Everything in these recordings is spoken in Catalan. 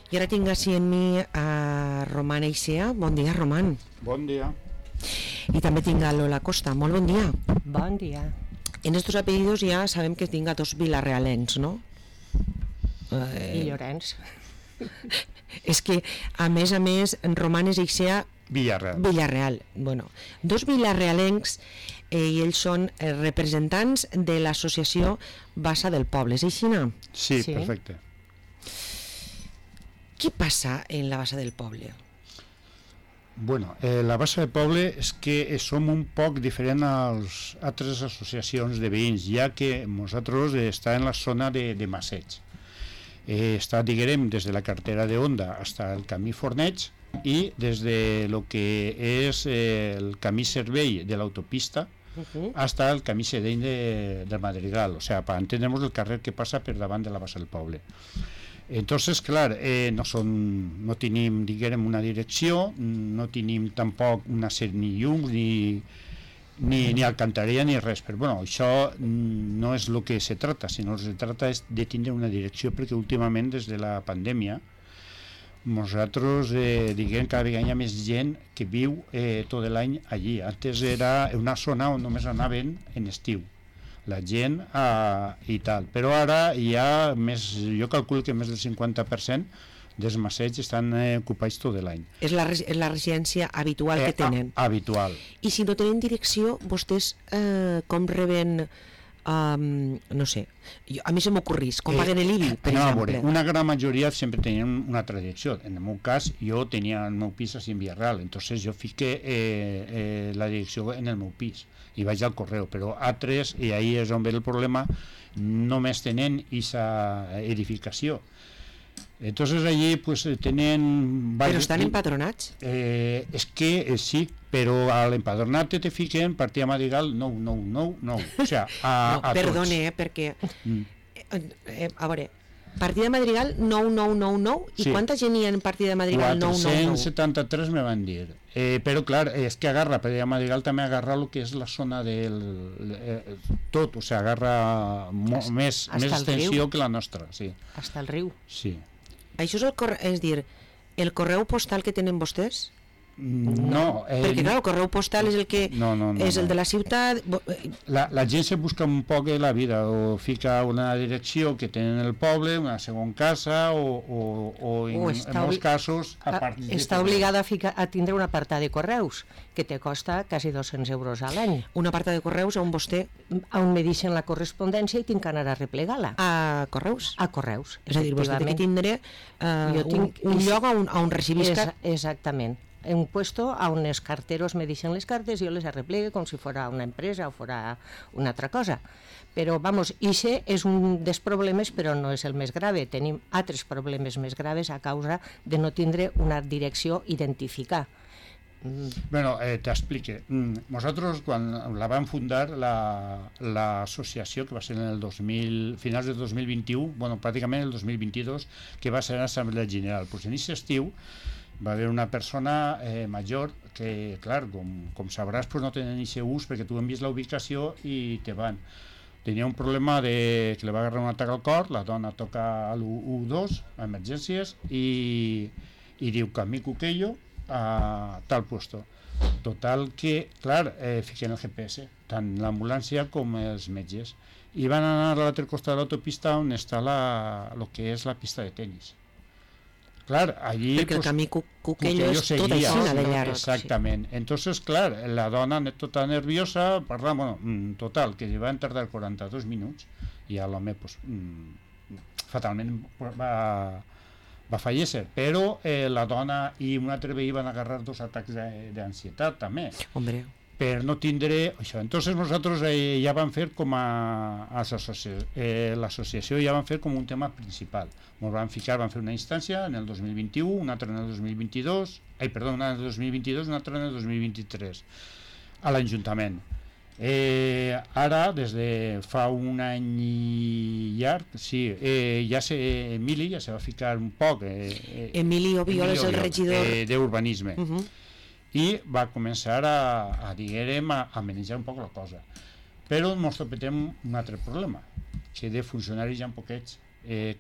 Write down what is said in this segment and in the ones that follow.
I ara tinc així en mi a Roman Eixea. Bon dia, Roman. Bon dia. I també tinc a Lola Costa. Molt bon dia. Bon dia. En estos apellidos ja sabem que tinc a dos vilarrealens, no? I Llorenç. És que, a més, Roman Eixea... Villarreal. Bueno, dos vilarrealencs i ells són representants de l'associació Bassa del Poble. És així, no? Sí, perfecte. Què passa en la Bassa del Poble? Bueno, la Bassa del Poble és que som un poc diferent a les altres associacions de veïns, ja que nosaltres està en la zona de Masseig. Està, diguem, des de la carretera de Onda fins al camí Forneig i des de lo que és el camí Cervell de l'autopista hasta el camí Sedeny del Madrigal, o sea, para entendernos el carrer que passa per davant de la Bassa del Poble. Entonces, clar, no tenim, diguem, una direcció, no tenim tampoc una sèrie ni llums, ni alcantarilla, ni res. Però, bueno, això no és el que se trata, sinó que se trata és de tindre una direcció, perquè últimament, des de la pandèmia, nosaltres, diguem, cada vegada hi ha més gent que viu tot l'any allí. Antes era una zona on només anaven en estiu la gent i tal, però ara hi ha més, jo calculo que més del 50% dels Masseig estan ocupats tot l'any. És la residència habitual que tenen? Habitual. I si no tenen direcció, vostès com reben, no sé, a mi se m'ocorrís, com paguen l'IBI, per exemple? Una gran majoria sempre tenien una altra direcció. En el meu cas, jo tenia el meu pis a Villarreal, entonces jo fiqué la direcció en el meu pis i vaig al correu, però altres, i ahí és on ve el problema, només tenen aquesta edificació. Entonces allí pues tenen... Però estan empadronats? És que sí, però a l'empadronat te fiquen partida Madrigal 999, o sea, a tots. Perdone, perquè... A veure, partida Madrigal 9999, i quanta gent hi ha en partida Madrigal 999? 473 me van dir. Però clar, és que agarra, partida Madrigal també agarra el que és la zona del... tot, o sigui, agarra més extensió que la nostra, sí. Hasta el riu. Sí. Això és dir, el correu postal que tenen vostès? No, perquè clar, el correu postal és el que és el de la ciutat. La gent se busca un poc la vida, o fica una direcció que tenen el poble, una segona casa, o en molts casos està obligada a tindre un apartat de correus que te costa quasi 200 euros a l'any. Un apartat de correus on vostè... On me deixen la correspondència i tinc que anar a replegar-la. A correus? A correus. És a dir, vostè té que tindre un lloc on recibisca... Exactament. Un puesto a on els carteros me deixen les cartes i jo les arreplegue com si fora una empresa o fora una altra cosa. Però, vamos, ixe és un dels problemes, però no és el més grave. Tenim altres problemes més graves a causa de no tindre una direcció identificar. Bueno, t'explique. Nosaltres, quan la vam fundar, l'associació, que va ser en el finals del 2021, bueno, pràcticament el 2022, que va ser l'Assemblea General. Pues en aquest estiu va haver una persona major que, clar, com sabràs, pues no tenen aquest ús perquè tu envies la ubicació i te van. Tenia un problema que li va agarrar un atac al cor, la dona toca a l'112, a emergències, i diu que mi cuquello a tal puesto. Total que, clar, fiquen el GPS, tant l'ambulància com els metges. I van anar a l'altre costat de l'autopista on està el que és la pista de tenis. Clar, allí... Perquè el camí Cuquello és tot així de llarg. Exactament. Entonces, clar, la dona tota nerviosa, parla, bueno, total, que va tardar 42 minuts i l'home, pues, fatalment va fallecer, però la dona i un altre veí van agarrar 2 atacs d'ansietat també. Hombre. Per no tindre això. Entonces nosaltres ja vam fer com a l'associació ja vam fer com un tema principal. Ens vam ficar, vam fer una instància en el 2021, una altra en el 2022, una en el 2022 i una altra en el 2023 a l'Ajuntament. Ara, des de fa un any i llarg, sí, Emili ja se va ficar un poc. Emili Obiol és el regidor d'Urbanisme. I va començar a manejar un poc la cosa. Però ens tropetem un altre problema, que de funcionaris hi ha poquets.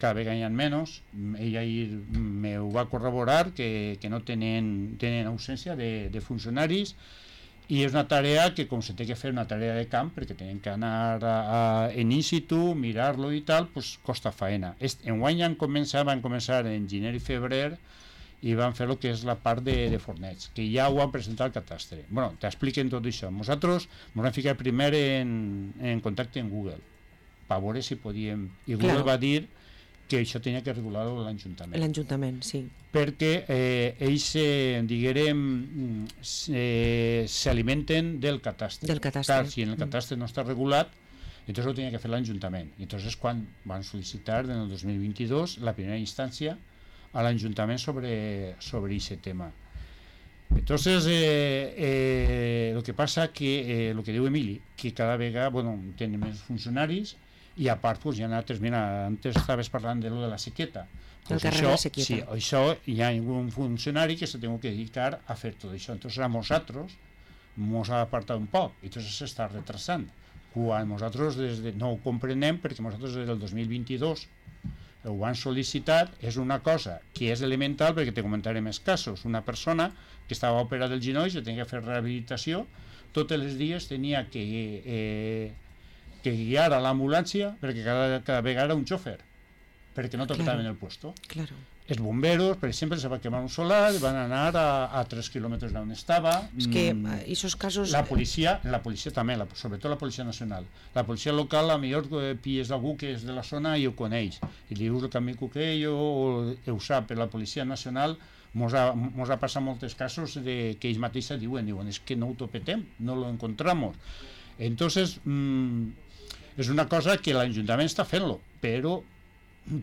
cada vegada hi ha menys. Ell ahir me ho va corroborar, que no tenen ausència de funcionaris, i és una tarea que, com se té que fer una tarea de camp, perquè tenen que anar en in-situ, mirar-lo i tal, pues costa faena. Enguany van començar en gener i febrer, i van fer el que és la part de forneig, que ja ho han presentat al catastre. Bueno, t'expliquen tot això. Nosaltres ens vam ficar primer en contacte amb Google, per veure si podíem... I Google va dir que això tenia que regular-ho l'Ajuntament. L'Ajuntament, sí. Perquè ells, diguem, s'alimenten del catastre. Del catastre. Clar, si en el catastre no està regulat, entonces ho tenia que fer l'Ajuntament. I entonces quan van sol·licitar en el 2022 la primera instància a l'Ajuntament sobre aquest tema. Entonces, lo que pasa que, lo que diu Emili, que cada vegada, tenen més funcionaris, i a part, pues, hi ha altres, mira, antes estaves parlant de lo de la sequeta. Pues el carrer de la sequeta. Sí, això hi ha un funcionari que se tengo que dedicar a fer tot això. Entonces a nosaltres ens ha apartat un poc, i entonces s'està retrasant. Quan nosaltres no ho comprenem, perquè nosaltres des del 2022 ho han sol·licitat, és una cosa que és elemental, perquè te comentaré més casos. Una persona que estava operada del genoll, que tenia que fer rehabilitació, tots els dies tenia que guiar a l'ambulància, perquè cada vegada era un xòfer, perquè no tocaven el puesto. Claro. Els bomberos, per exemple, se va quemar un solar, van anar a 3 quilòmetres d'on estava. És que aquests casos... La policia també, sobretot la Policia Nacional. La policia local, a millor pilles algú que és de la zona i ho coneix. I li dius el camí Cuquello, o ho sap, però la Policia Nacional mos ha passat molts casos que ells mateixos diuen, és que no ho topetem, no lo encontramos. Entonces, és una cosa que l'Ajuntament està fent-lo, però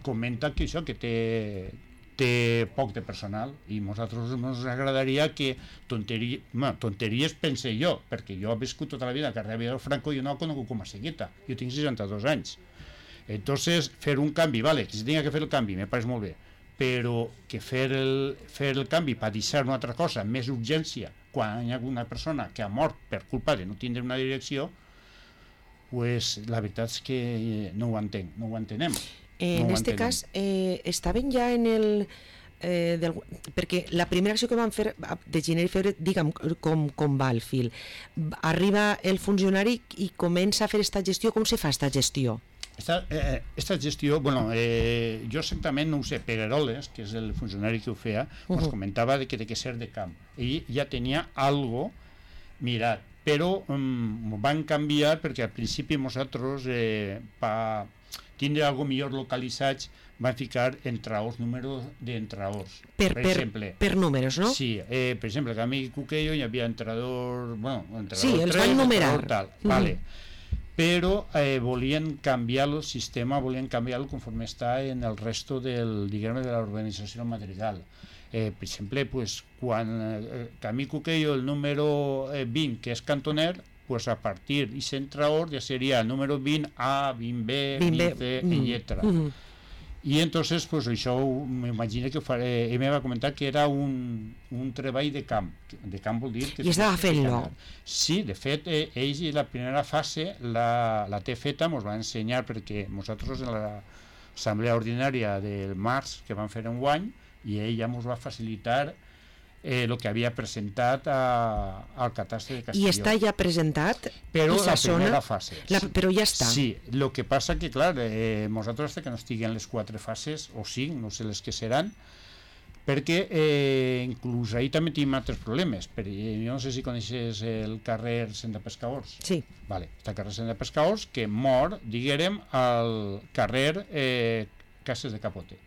comenta que això, que té poc de personal, i a nosaltres ens agradaria que tonteries pense jo, perquè jo he viscut tota la vida a carrer Vidal Franco i jo no ho conegut com a sequeta, jo tinc 62 anys. Entonces, fer un canvi, vale, que si tenia que fer el canvi, me pareix molt bé, però que fer el canvi per deixar una altra cosa, més urgència, quan hi ha una persona que ha mort per culpa de no tindre una direcció, pues la veritat és que no ho entenc, no ho entenem. En aquest cas, estaven ja en el... perquè la primera acció que van fer de gener i febrer, digue'm com va el fil. Arriba el funcionari i comença a fer aquesta gestió. Com se fa aquesta gestió? Esta gestió, jo exactament no ho sé, Pegueroles, que és el funcionari que ho feia, ens comentava que té que ser de camp. Ell ja tenia algo mirat, però van canviar perquè al principi nosaltres, per tindre algo millor localitzats, van ficar entraors, números d'entraors. Per exemple. Per números, no? Sí, per exemple, a Camí Cuquello hi havia entrador, entrador 3, sí, els van numerar. Tal, vale. Però volien canviar el sistema, volien canviar-lo conforme està en el resto de l'organització madrigal. Per exemple, quan Camí Cuquello, el número 20, que és cantoner, a partir d'aquest entraor ja seria el número 20A, 20B, 20C, etc. I entonces, això m'imagino que ell me va comentar que era un treball de camp. De camp vol dir que... I estava fent-lo. Sí, de fet, ells la primera fase la té feta, ens va ensenyar, perquè nosaltres en l'assemblea ordinària del març que vam fer enguany, i ell ja ens va facilitar el que havia presentat al catastre de Castelló. I està ja presentat? Però la primera fase. Però ja està. Sí, el que passa que, clar, nosaltres hasta que no estiguen les 4 fases, o 5, no sé les que seran, perquè inclús ahir també tenim altres problemes. Jo no sé si coneixes el carrer Senda Pescaors. Sí. Vale, el carrer Senda Pescaors, que mor, diguem, al carrer Cases de Capote.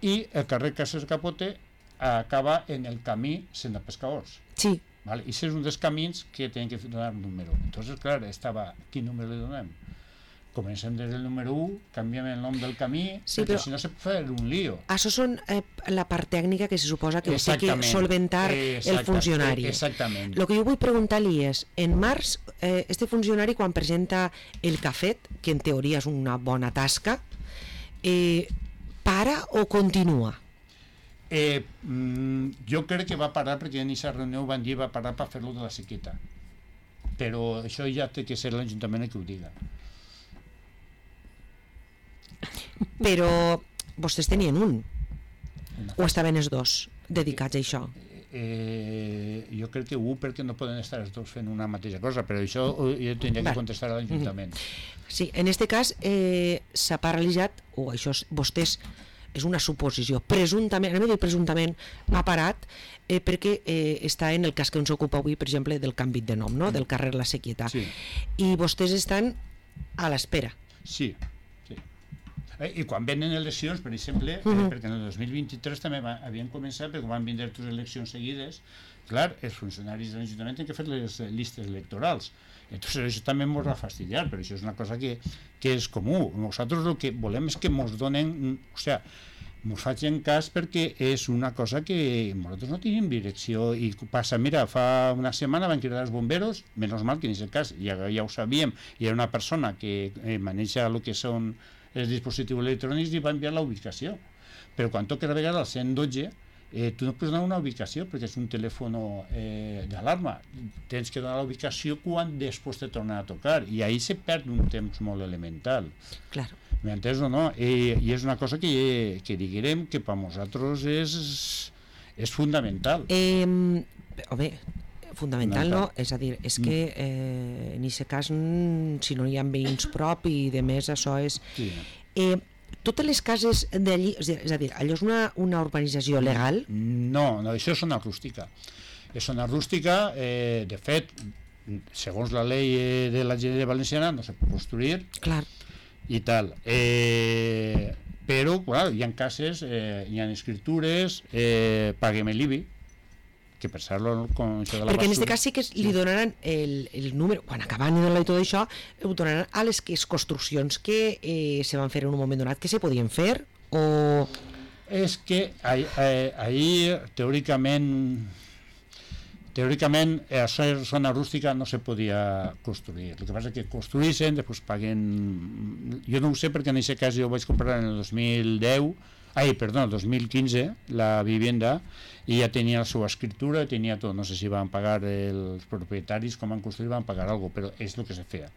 I el carrer Cases de Capote acaba en el camí Senda Pescaors. Sí. Vale? I aquest és un dels camins que tenen que donar un número. Entonces, clar, quin número li donem? Comencem des del número 1, canviem el nom del camí, sí, perquè si no se pot fer un lío. Això són la part tècnica que se suposa que té que solventar el funcionari. Exactament. El que jo vull preguntar-li és, en març, este funcionari quan presenta el cafet, que en teoria és una bona tasca, para o continua? Jo crec que va parar perquè en aquesta reunió van dir va parar per fer-lo de la sequeta, però això ja té que ser l'Ajuntament que ho diga. Però vostès tenien un, o estaven els dos dedicats a això? Jo crec que perquè no poden estar els dos fent una mateixa cosa, però això jo tindria que contestar a l'Ajuntament. Sí, en aquest cas s'ha paralitzat, o això vostès, és una suposició, presumptament, anem a dir presumptament, ha parat perquè està en el cas que ens ocupa avui, per exemple, del canvi de nom, no? Del carrer La Sequieta. Sí. I vostès estan a l'espera. Sí. I quan venen eleccions, per exemple, perquè en el 2023 també havien començat, perquè van vindre dues eleccions seguides, clar, els funcionaris de l'Ajuntament tenen que fer les llistes electorals. Entonces això també ens va fastidiar, però això és una cosa que és comú. Nosaltres el que volem és que ens donen, o sigui, ens facin cas perquè és una cosa que nosaltres no tenim direcció i passa, mira, fa una setmana van cridar els bomberos, menys mal que en aquest cas ja ho sabíem, hi ha una persona que maneja el que són els dispositius electrònics i va enviar la ubicació, però quan toca la vegada al 112 tu no pots donar una ubicació perquè és un telèfon d'alarma, tens que donar la ubicació quan després te torna a tocar i ahí se perd un temps molt elemental. Claro. M'entens o no? I és una cosa que diguem que per nosaltres és fundamental. Home, fundamental no, és a dir, és que en aquest cas si no hi ha veïns prop i de més això és... Sí. Totes les cases d'allí, és a dir, allò és una urbanització legal? No, això és zona rústica. És zona rústica, de fet, segons la llei de la Generalitat Valenciana no se pot construir. Clar. I tal. Però, clar, hi ha cases, hi ha escritures, paguem l'IBI, que per ser-lo con això de la perquè basura... en aquest cas sí que li donaran el número, quan acaben i tot això, ho donaran a les construccions que se van fer en un moment donat, que se podien fer, o... És que ahir, teòricament, a la zona rústica no se podia construir. El que passa és que construïssin, després paguen... Jo no ho sé perquè en aquest cas jo ho vaig comprar en el 2015, la vivienda, i ja tenia la seva escritura, tenia tot, no sé si van pagar els propietaris, com van construir, van pagar alguna cosa, però és el que se feia.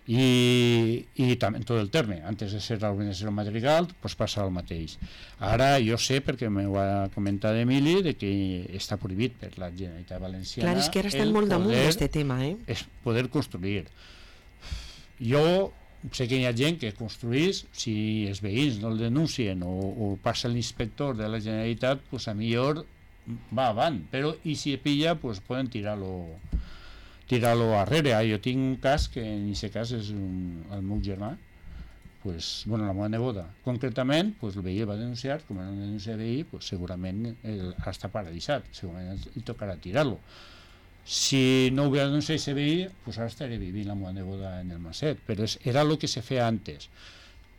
I també en tot el terme, antes de ser l'organització Madrigal, pues passa el mateix. Ara jo sé, perquè m'ho ha comentat Emili, de que està prohibit per la Generalitat Valenciana. Clar, és que ara estan molt damunt d'aquest tema, és poder construir. Jo sé que hi ha gent que construís, si els veïns no el denuncien o passa l'inspector de la Generalitat, pues a millor va avant, però i si pilla, pues poden tirarlo arrere. Jo tinc un cas que en aquest cas és el meu germà, pues, bueno, la meva neboda concretament, pues, el veí el va denunciar, com no denuncia el veí, pues, segurament està paralitzat, segurament li tocarà tirar-lo. Si no hubiera denunciat ese veí, pues ara estaré vivint la meva neboda en el Maset, però era el que se feia antes.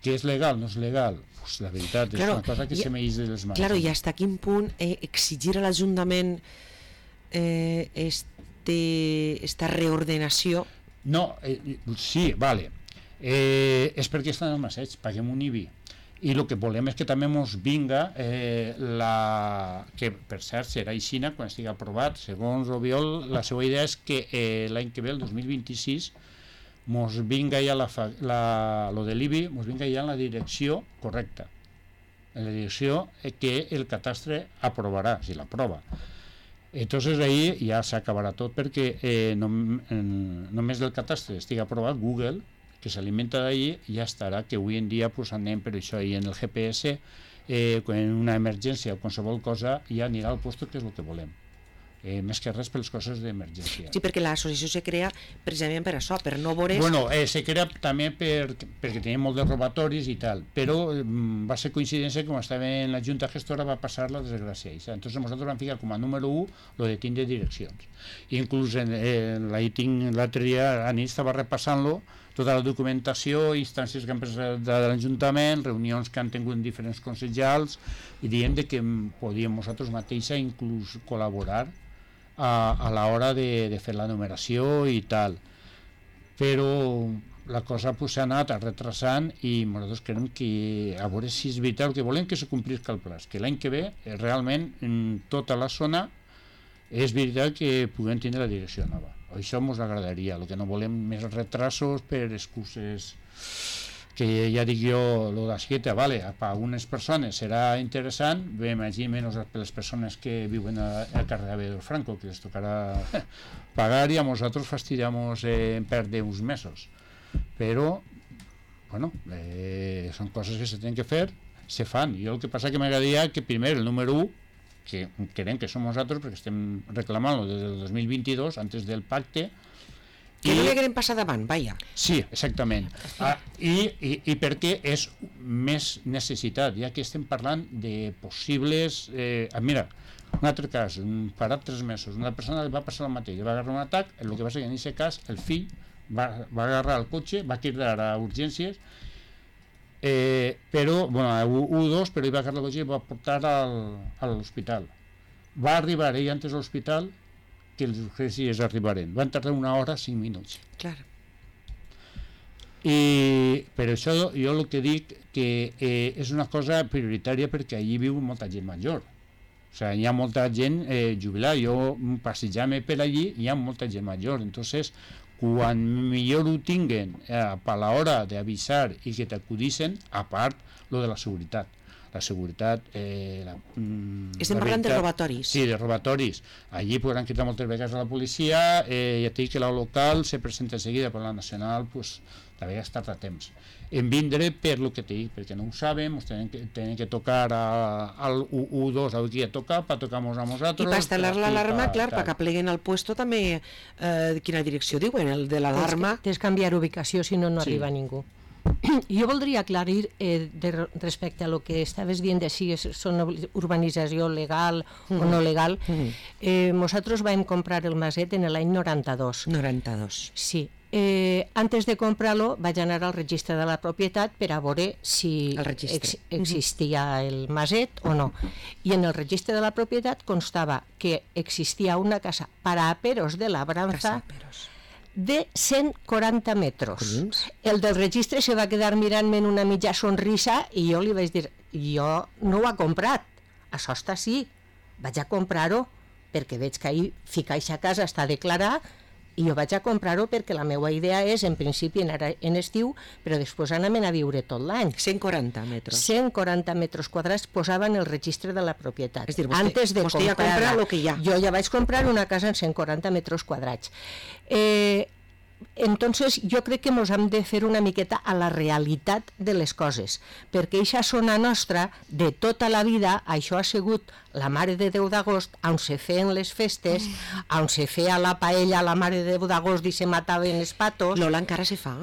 Que és legal, no és legal? Pues la veritat, és una cosa que se m'eix de les mans. Claro, i fins a quin punt exigir a l'Ajuntament esta reordenació? No, sí, vale. És perquè estan al Maseig, paguem un IBI. I el que volem és que també ens vinga que per cert serà aixina quan estigui aprovat. Segons Obiol, la seva idea és que l'any que ve, el 2026, ens vinga ja lo de l'IBI, ens vinga ja en la direcció correcta, en la direcció que el catastre aprovarà, si l'aprova. Entonces ahí ja s'acabarà tot, perquè només el catastre estigui aprovat, Google, que s'alimenta d'ahí, ja estarà, que avui en dia pues, anem per això, i en el GPS, en una emergència o qualsevol cosa, ja anirà al lloc que és el que volem. Més que res per les coses d'emergència. Sí, perquè l'associació se crea precisament per això, per no veure... Bueno, se crea també perquè tenim molt de robatoris i tal, però va ser coincidència que quan estava en la Junta Gestora va passar la desgràcia. Entonces nosaltres vam ficar com a número 1 lo de tindre direccions. Inclús l'altre dia a nit estava repassant-lo, tota la documentació, instàncies que han presentat de l'Ajuntament, reunions que han tingut en diferents consellals, i diem que podíem nosaltres mateixa inclús col·laborar a l'hora de fer la numeració i tal. Però la cosa s'ha anat retrasant i nosaltres creiem que a veure si és veritat, el que volem que se complisca el pla, que l'any que ve realment en tota la zona és veritat que puguem tindre la direcció nova. Això ens agradaria, el que no volem més retrasos per excuses que ja dic jo, lo d'Asqueta, vale, per algunes persones serà interessant, bé, imagina menys per les persones que viuen al carrer Avedor Franco, que les tocarà pagar i a nosaltres fastidiamos en perdre uns mesos. Però, bueno, són coses que se tenen que fer, se fan. Jo el que passa que m'agradaria que primer el número 1, que creiem que som nosaltres perquè estem reclamant-lo des del 2022, antes del pacte, que no li haguem passat davant, vaja. Sí, exactament. I perquè és més necessitat, ja que estem parlant de possibles... mira, un altre cas, farà 3 mesos, una persona li va passar el mateix, va agarrar un atac, el que va ser que en aquest cas el fill va agarrar el cotxe, va cridar a urgències, però, bueno, a U2, però ell va agarrar el cotxe i va portar a l'hospital. Va arribar ell antes a l'hospital que els urgències arribaren. Van tardar 1 hora 5 minuts. Clar. I per això jo el que dic que és una cosa prioritària perquè allí viu molta gent major. O sigui, hi ha molta gent jubilada. Jo passejant-me per allí hi ha molta gent major. Entonces, quan millor ho tinguen per l'hora d'avisar i que t'acudissin, a part lo de la seguretat. La seguretat... Estem parlant de robatoris. Sí, de robatoris. Allí podran quitar moltes vegades a la policia, ja t'he dit que la local se presenta seguida, però la nacional, pues, a vegades tarda temps. En vindre per lo que t'he dit, perquè no ho sabem, tenen que tocar al U2, al que ja toca, per tocar-nos a nosaltres... I per instal·lar l'alarma, clar, perquè pleguen al puesto també, quina direcció diuen, el de l'alarma... Tens que canviar ubicació, si no, no arriba ningú. Jo voldria aclarir respecte a lo que estaves dient de si és una urbanització legal o no legal. Nosaltres vam comprar el maset en l'any 92. 92. Sí. Antes de comprar-lo vaig anar al registre de la propietat per a veure si existia el maset o no. I en el registre de la propietat constava que existia una casa para aperos de labranza de 140 metros. El del registre se va quedar mirant-me en una mitja sonrisa i jo li vaig dir, jo no ho he comprat, això està així, vaig a comprar-ho perquè veig que ahir ficar a casa està declarat i jo vaig a comprar-ho perquè la meva idea és, en principi, anar en estiu, però després anar a viure tot l'any. 140 metres. 140 metres quadrats posava en el registre de la propietat. És dir, vostè ja compra el que hi ha. Jo ja vaig comprar una casa en 140 metres quadrats. Entonces jo crec que ens hem de fer una miqueta a la realitat de les coses, perquè aquesta zona nostra de tota la vida, això ha sigut la Mare de Déu d'Agost, on se feien les festes, on se feia la paella a la Mare de Déu d'Agost i se mataven els patos. Lola, encara se fa?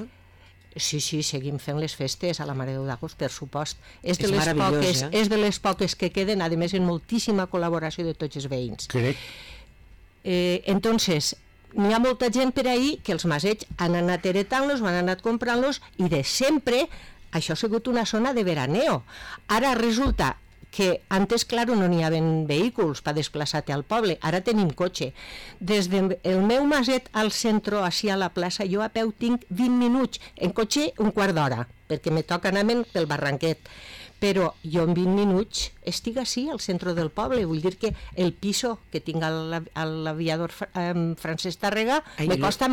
Sí, seguim fent les festes a la Mare de Déu d'Agost, per supost. És de les poques que queden, a més, en moltíssima col·laboració de tots els veïns. Crec. Entonces, n'hi ha molta gent per ahir que els masets han anat heretant-los, han anat comprant-los i de sempre això ha sigut una zona de veraneo. Ara resulta que antes, claro, no n'hi havia vehicles per desplaçar-te al poble, ara tenim cotxe. Des del meu maset al centre, així a la plaça, jo a peu tinc 20 minuts, en cotxe un quart d'hora, perquè me toca anar pel barranquet. Però jo en 20 minuts estic així al centre del poble, vull dir que el piso que tinc a l'aviador Francesc Tàrrega me costa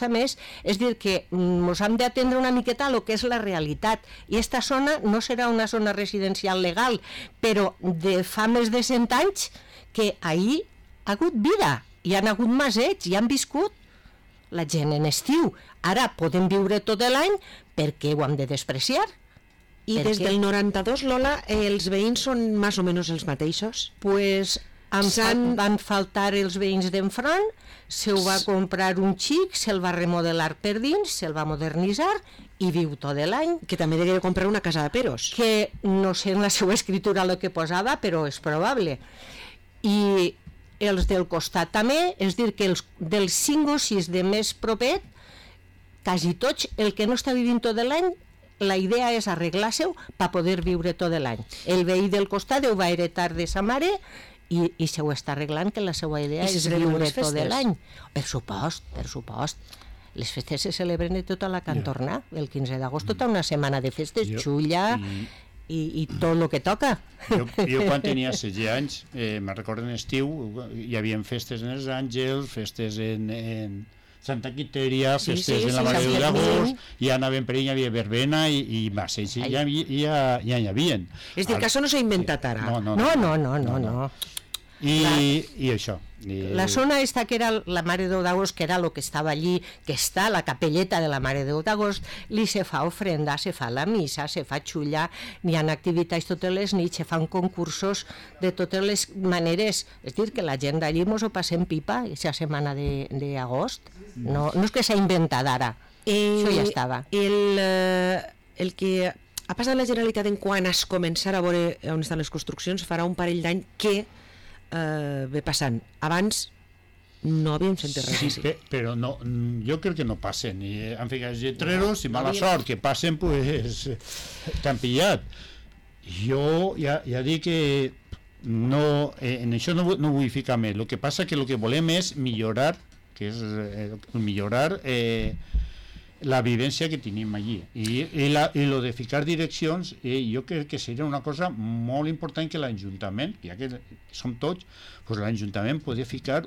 més, és dir que ens hem d'atendre una miqueta a lo que és la realitat, i aquesta zona no serà una zona residencial legal, però de fa més de 100 anys que ahir ha hagut vida, hi han hagut masets, hi han viscut la gent en estiu, ara podem viure tot l'any, per què ho hem de despreciar? I des del 92, Lola, els veïns són més o menys els mateixos? Pues van faltar els veïns d'enfront, se ho va comprar un xic, se'l va remodelar per dins, se'l va modernitzar i viu tot l'any. Que també degué comprar una casa de peros. Que no sé en la seva escritura el que posava, però és probable. I els del costat també, és dir, que els dels 5 o 6 de més propet, quasi tots, el que no està vivint tot l'any, la idea és arreglar-se-ho per poder viure tot l'any. El veí del costat ho va heretar de sa mare i se ho està arreglant, que la seva idea és viure tot l'any. Per supost. Les festes se celebren de tota la cantorna, el 15 d'agost, tota una setmana de festes, xulla i tot el que toca. Jo quan tenia 16 anys, me'n recordo en estiu, hi havia festes en els Àngels, festes en Santa Quiteria, festes en la Mare de Déu d'agost, ja anaven per ell, hi havia verbena i masses, ja hi havia. És dir, que això no s'ha inventat ara. No. I això. La zona esta que era la Mare de Déu d'agost, que era el que estava allí, que està la capelleta de la Mare de Déu d'agost, li se fa ofrenda, se fa la missa, se fa xulla, n'hi ha activitats totes les nits, se fan concursos de totes les maneres. És dir, que la gent d'allí mos ho passem pipa, aquesta setmana d'agost. No és que s'ha inventat ara, això ja estava. El que ha passat la Generalitat en quan es començar a veure on estan les construccions farà un parell d'any que ve passant. Abans no havíem sentit res així. Sí, però no, jo crec que no passen. Han ficat lletreros i mala sort, que passen, pues, t'han pillat. Jo ja dic que no, en això no vull ficar més. El que passa que el que volem és millorar, que és millorar la vivència que tenim allí i lo de ficar direccions, jo crec que seria una cosa molt important que l'Ajuntament, ja que som tots, pues l'Ajuntament podria ficar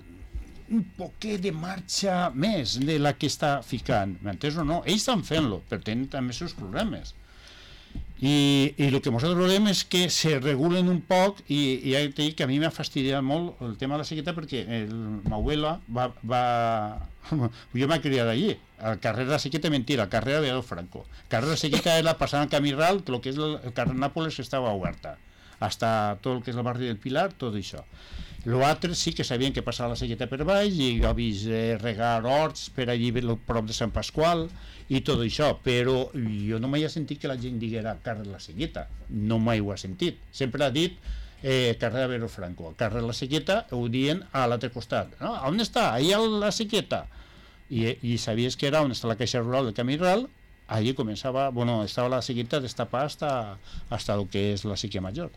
un poquet de marxa més de la que està ficant, m'entens o no? Ells estan fent-lo, però tenen també els seus problemes. I el que nosaltres volem és que se regulen un poc, i ja t'he dit que a mi m'ha fastidiat molt el tema de la sequeta, perquè ma abuela jo m'he criat allí, al carrer de la Sequeta, mentira, al carrer de Adolf Franco. El carrer de la Sequeta era passant al Camí Ral, que el que és el carrer Nàpoles estava oberta, hasta tot el que és el barri del Pilar, tot això. L'altre sí que sabien que passava la Sequeta per baix, i jo he vist regar horts per allí prop de Sant Pasqual i tot això, però jo no m'he sentit que la gent diguera carrer de la Sequeta, no mai ho ha sentit, sempre ha dit carrer de Adolf Franco. El carrer de la Sequeta ho diuen a l'altre costat. No? On està? Allà la Sequeta. I sabies que era on està la caixa rural del Camí Ral, allí començava, estava la Sequeta destapada hasta el que és la Sèquia Major.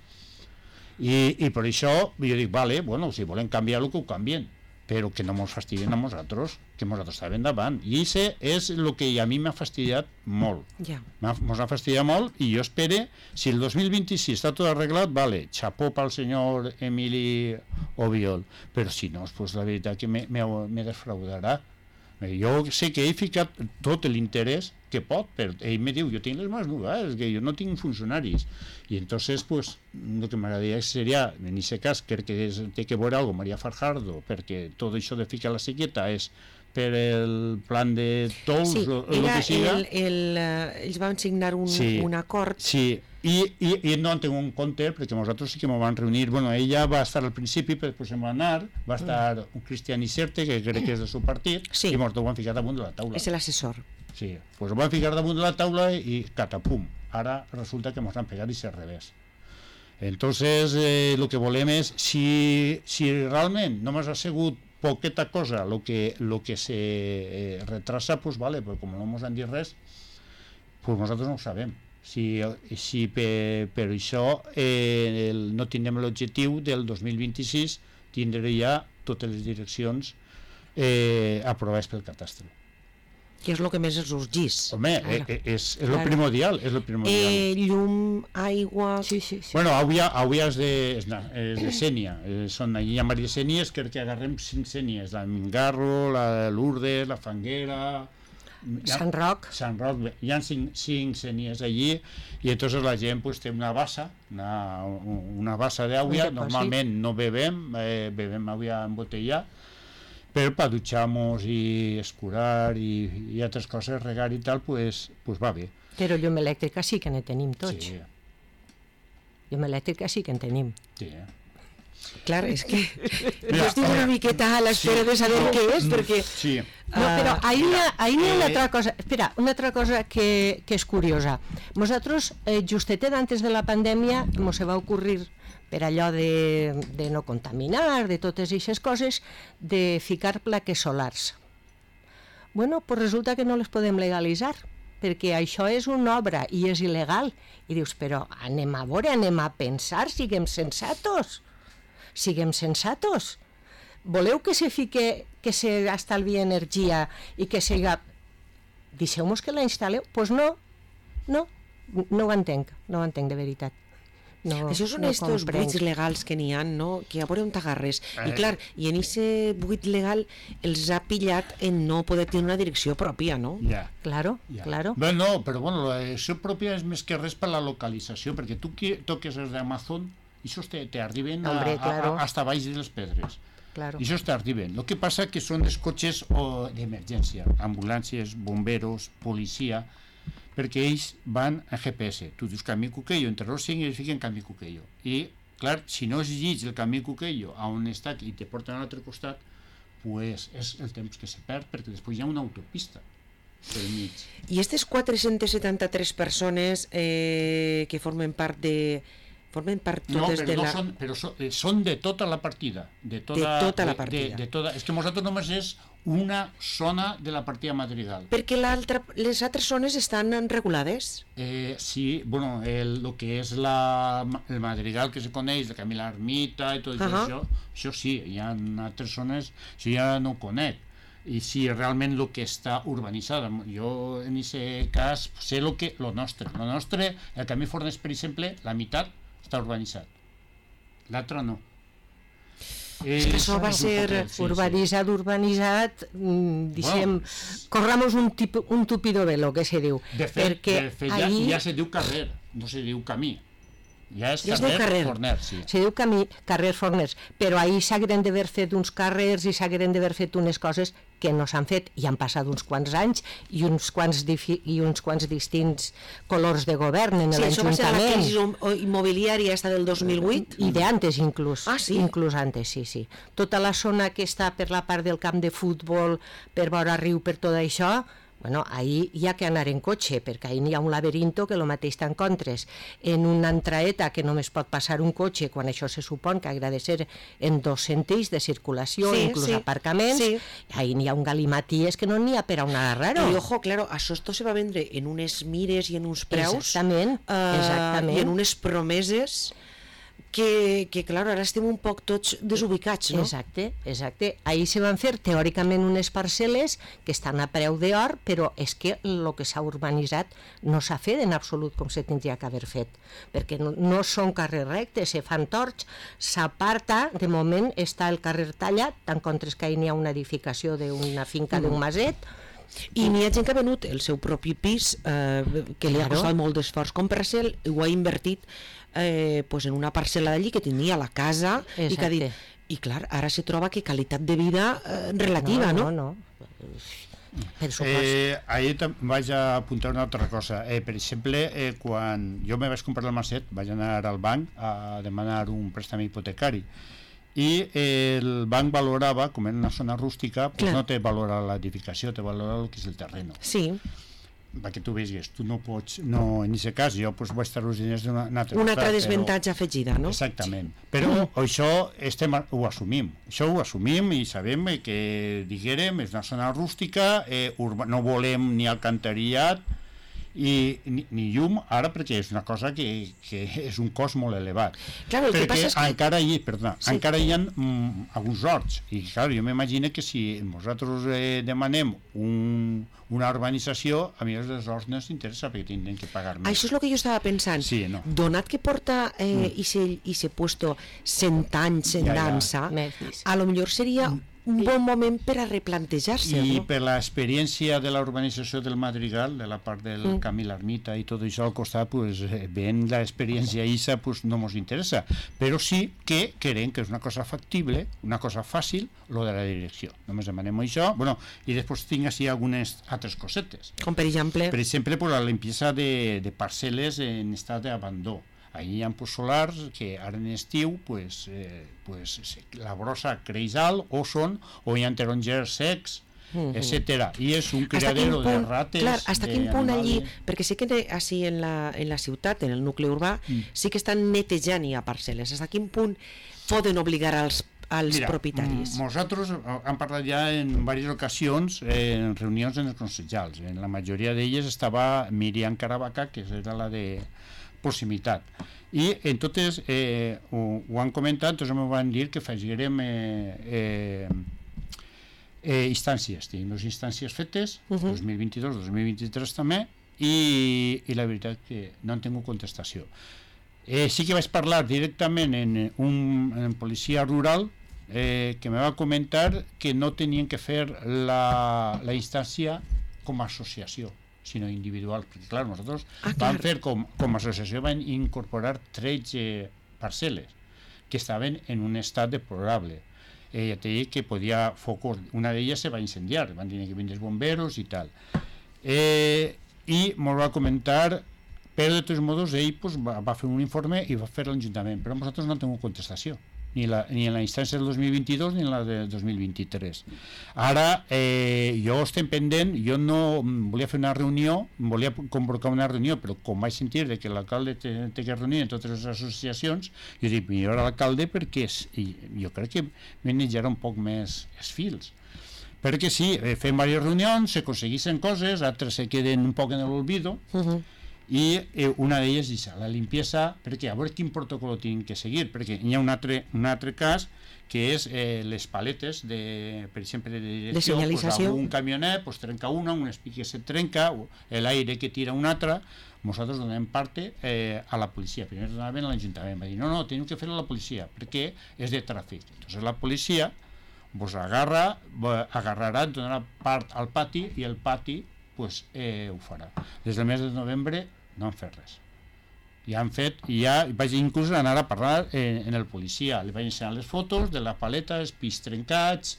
I per això jo dic, vale, si volen canviar-lo, que ho canvien, però que no ens fastidien a nosaltres, que nosaltres estàvem davant. I això és el que a mi m'ha fastidiat molt. Ens ha fastidiat molt, i jo espero, si el 2026 està tot arreglat, vale, xapó pel senyor Emili Obiol, però si no, pues la veritat que me defraudarà. Jo sé que he ficat tot l'interès que pot, però ell me diu, jo tinc les mans nudes, que jo no tinc funcionaris, i entonces pues el que m'agradaria seria, en aquest cas crec que té que veure algo María Fajardo, perquè tot això de ficar la sequeta és per el plan de tolls o el que siga. Ells van signar un acord. Sí, i no en tinc un compte, perquè nosaltres sí que m'ho van reunir. Ella va estar al principi, però després se'n va anar, va estar un Cristian Iserte, que crec que és del seu partit, i ens ho van ficar damunt de la taula. És l'assessor. Sí, doncs ho van ficar damunt de la taula i catapum. Ara resulta que ens han pegat i s'ha revés. Entonces, el que volem és, si realment no m'has assegut poqueta cosa, el que se retrasa, pues vale, però com no ens han dit res, pues nosaltres no ho sabem. Si per això no tindrem l'objectiu del 2026 tindre ja totes les direccions aprovades pel Catastre. Que és el que més els urgís. Home, és el primordial. Llum, aigua... Sí. Avui és de Sénia. Són allà a Maria Sénies, crec que agarrem 5 Sénies. La Mingarro, la Lourdes, la Fanguera... Sant Roc. Hi ha 5 Sénies allí, i entonces la gent pues, té una bassa, una bassa d'aigua. Normalment no bebem aigua embotellada, però per dutxar-nos i escurar i altres coses, regar i tal, pues va bé. Però llum elèctrica sí que ne tenim tots. Sí. Llum elèctrica sí que en tenim. Sí. Clar, és que jo estic una miqueta a l'espera de saber què és, perquè... Sí. No, però ahí hi ha una altra cosa, espera, una altra cosa que és curiosa. Nosaltres, justetet antes de la pandèmia, ens va ocurrir per allò de no contaminar, de totes aquestes coses, de ficar plaques solars. Bueno, pues resulta que no les podem legalitzar, perquè això és una obra i és il·legal. I dius, però anem a veure, anem a pensar, siguem sensatos. Voleu que se fique, que se estalvi energia i que siga... Deixeu-nos que la instal·leu? Doncs no ho entenc de veritat. Això són estos buits legals que n'hi ha, no? Que a veure on t'agarres. I clar, i en aquest buit legal els ha pillat en no poder tenir una direcció pròpia, no? Claro. No, però bueno, la direcció pròpia és més que res per la localització, perquè tu toques els d'Amazon i això t'arriben hasta baix de les pedres. Claro. I això t'arriben. El que passa que són els cotxes d'emergència, ambulàncies, bomberos, policia, perquè ells van en GPS. Tu dius camí Cuquello, entre els 5 i ells fiquen camí Cuquello. I, clar, si no es llits el camí Cuquello a on està i te porten a l'altre costat, pues és el temps que se perd, perquè després hi ha una autopista pel mig. I aquestes 473 persones que formen part totes de la... No, però són de tota la partida. De tota la partida. És que nosaltres només és una zona de la partida Madrigal. Perquè les altres zones estan regulades? Sí, bueno, el que és el Madrigal que se coneix, el camí l'Ermita i tot això sí, hi ha altres zones, això ja no ho conec. I si realment el que està urbanitzat, jo en aquest cas sé lo nostre, el camí Forners, per exemple, la meitat està urbanitzat, l'altre no. És que això va ser urbanitzat, dicem, corramos un tupido velo, que se diu. De fet ja se diu carrer, no se diu camí. Ja és carrer Forners, sí. Se diu carrer Forners, però ahir s'hagueren d'haver fet uns carrers i s'hagueren d'haver fet unes coses que no s'han fet, i han passat uns quants anys i uns quants distints colors de govern en l'Ajuntament. Sí, això va ser la crisi immobiliària esta del 2008? I d'antes inclús. Ah, sí? Inclús antes, sí. Tota la zona que està per la part del camp de futbol, per vora riu, per tot això, bueno, ahir hi ha que anar en cotxe, perquè ahir hi ha un laberinto que el mateix t'encontres en una entraeta que només pot passar un cotxe, quan això se supon que ha de ser en 2 sentits de circulació, inclús aparcaments, ahir n'hi ha un galimaties que no n'hi ha per a un agarrar-ho. I ojo, claro, això esto se va vendre en unes mires i en uns preus, exactament. I en unes promeses que clar, ara estem un poc tots desubicats, no? Exacte. Ahir se van fer teòricament unes parcel·les que estan a preu d'or, però és que el que s'ha urbanitzat no s'ha fet en absolut com se tindria que haver fet, perquè no són carrers rectes, se fan torts, s'aparta, de moment està el carrer tallat, tant contres que ahir n'hi ha una edificació d'una finca d'un maset, i n'hi ha gent que ha venut el seu propi pis, que li ha costat molt d'esforç comprar-se'l, ho ha invertit en una parcel·la d'allí que tenia la casa i que ha dit, i clar, ara se troba que qualitat de vida relativa, no? No. Ahir vaig apuntar una altra cosa. Per exemple, quan jo me vaig comprar el maset, vaig anar al banc a demanar un préstec hipotecari i el banc valorava, com en una zona rústica, pues no te valora l'edificació, te valora el que és el terreno. Sí. Perquè tu veus, tu no pots, en aquest cas jo vaig estar els diners d'una altra una altra desventatge afegida, no? Exactament, però això ho assumim i sabem que diguérem, és una zona rústica, no volem ni alcantarillat ni llum ara, perquè és una cosa que és un cost molt elevat. Claro, perquè encara hi ha alguns horts, i clar, jo m'imagino que si nosaltres demanem una urbanització, a mi els horts no s'interessa perquè tindrem que pagar més. Això és el que jo estava pensant. Sí, no. Donat que porta i se puesto 100 anys en dansa, a lo millor seria un bon moment per a replantejar-se. I per l'experiència de la urbanització del Madrigal, de la part del camí l'Ermita i tot això al costat, veient l'experiència ISA, no ens interessa. Però sí que creiem que és una cosa factible, una cosa fàcil, lo de la direcció. Només demanem això, i després tinc així algunes altres cosetes. Com per exemple? Per exemple, la limpieza de parcel·les en estat d'abandó. Ahí hi ha solars que ara en estiu la brossa creix alt o hi ha tarongers secs, etcètera, i és un criadero de rates. Clar, hasta quin punt allí, perquè sé que així en la ciutat, en el nucli urbà, sí que estan netejant ja parcel·les. Hasta quin punt poden obligar als propietaris? Nosaltres hem parlat ja en diverses ocasions en reunions en els consellals. En la majoria d'elles estava Miriam Caravaca, que era la de proximitat, i en totes ho han comentat, doncs em van dir que faríem instàncies, tenim les instàncies fetes 2022, 2023 també, i la veritat que no han tingut contestació. Sí que vaig parlar directament en policia rural, que me va comentar que no tenien que fer la instància com a associació, sinó individual, perquè clar, nosaltres vam fer com a associació, vam incorporar 13 parcel·les que estaven en un estat deplorable. Ja t'he dit que podia focos, una d'elles se va incendiar, van tenir que vindre els bomberos i tal. I ens va comentar, però de tots modos ell va fer un informe i va fer l'Ajuntament, però nosaltres no tenim contestació, ni en la instància del 2022 ni en la del 2023. Ara, jo estem pendent, jo no volia fer una reunió, volia convocar una reunió, però com vaig sentir que l'alcalde té que reunir en totes les associacions, jo dic, millor a l'alcalde perquè jo crec que manejarà un poc més els fils. Perquè sí, fem diverses reunions, s'aconsegueixen coses, altres se queden un poc en l'olvido, i una d'elles és la limpiesa, perquè a veure quin protocol tenim que seguir, perquè hi ha un altre cas que és les paletes per exemple de direcció, un camionet trenca un espic que se trenca, l'aire que tira un altre, nosaltres donem parte a la policia. Primer donaven a l'Ajuntament, va dir no, tenim que fer a la policia perquè és de tràfic. Entonces la policia agarrarà, donarà part al pati i el pati ho farà. Des del mes de novembre no han fet res. Ja han fet, vaig inclús anar a parlar en el policia, li vaig ensenyar les fotos de la paleta, els pis trencats,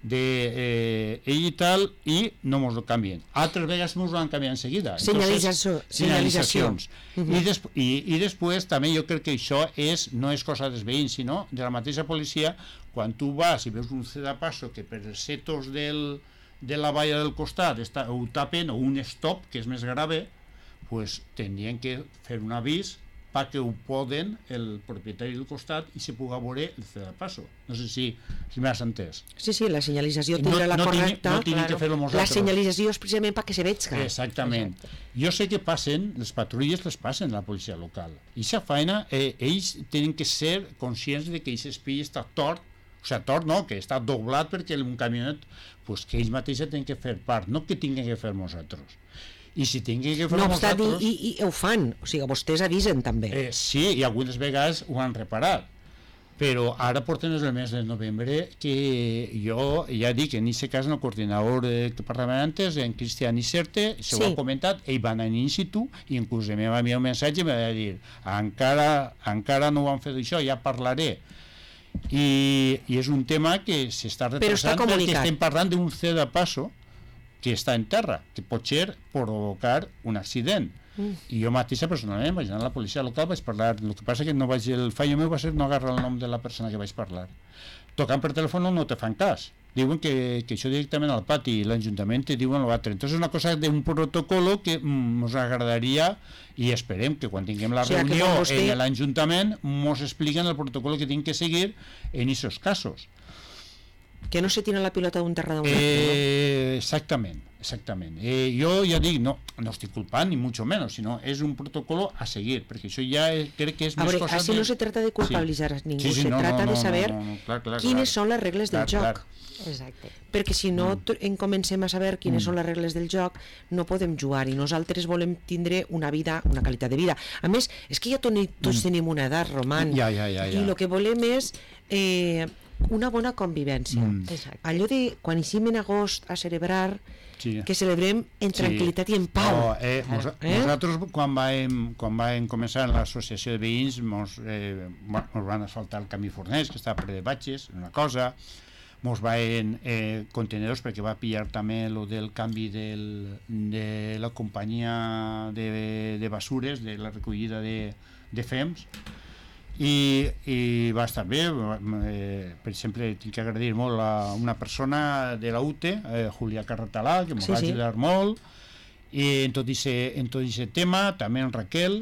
ell i tal, i no mos ho canvien. Altres vegades mos ho han canviat en seguida. Senyalitzacions. I després també jo crec que això no és cosa dels veïns, sinó de la mateixa policia. Quan tu vas i veus un cedapasso que per els setos de la valla del costat ho tapen, o un stop, que és més grave, pues tindrien que fer un avís perquè ho poden el propietari del costat i se pugui veure el cedapasso. No sé si m'has entès. Sí, la senyalització tindrà la correcta. No tinguin que fer-lo nosaltres. La senyalització és precisament perquè se veig. Exactament. Jo sé que passen, les patrulles les passen a la policia local. I aquesta feina, ells tenen que ser conscients de que aquest espill està tort, que està doblat perquè un camionet, que ells mateixos tenen que fer part, no que tinguin que fer nosaltres. I si tinguin que fer nosaltres... I ho fan, o sigui, vostès avisen també. Sí, i algunes vegades ho han reparat, però ara porten el mes de novembre que jo ja dic, en aquest cas el coordinador que parlava antes, en Cristian Iserte, s'ho ha comentat, ell va anar in situ i inclús em va enviar un missatge i em va dir encara no ho han fet això, ja parlaré. I és un tema que s'està retrasant perquè estem parlant d'un cedapasso que està en terra, que pot ser provocar un accident. I jo mateixa personalment vaig anar a la policia local, vaig parlar, el que passa que no vaig, el fallo meu va ser no agarrar el nom de la persona que vaig parlar. Tocant per telèfon no te fan cas, diuen que això directament al pati i l'Ajuntament te diuen l'altre. Entonces és una cosa d'un protocolo que ens agradaria i esperem que quan tinguem la reunió en l'Ajuntament ens expliquen el protocolo que tenim que seguir en aquests casos. Que no se tira la pilota d'un terra d'un altre. Exactament. Jo ja dic, no estic culpant ni mucho menos, sinó és un protocolo a seguir, perquè això ja crec que és més cosa... Així no se trata de culpabilitzar a ningú, se trata de saber quines són les regles del joc. Exacte. Perquè si no comencem a saber quines són les regles del joc, no podem jugar, i nosaltres volem tindre una vida, una qualitat de vida. A més, és que ja tots tenim una edat, Roman, i el que volem és una bona convivència. Allò de quan eixim en agost a celebrar, que celebrem en tranquil·litat i en pau. Nosaltres quan vam començar en l'associació de veïns ens van asfaltar el camí Forners, que estava ple de batxes, una cosa, ens van contenedors, perquè va pillar també el del canvi de la companyia de basures, de la recollida de fems, i va estar bé. Per exemple, tinc que agrair molt a una persona de la UTE, Julià Carratalà, que ens va ajudar molt en tot aquest tema, també en Raquel,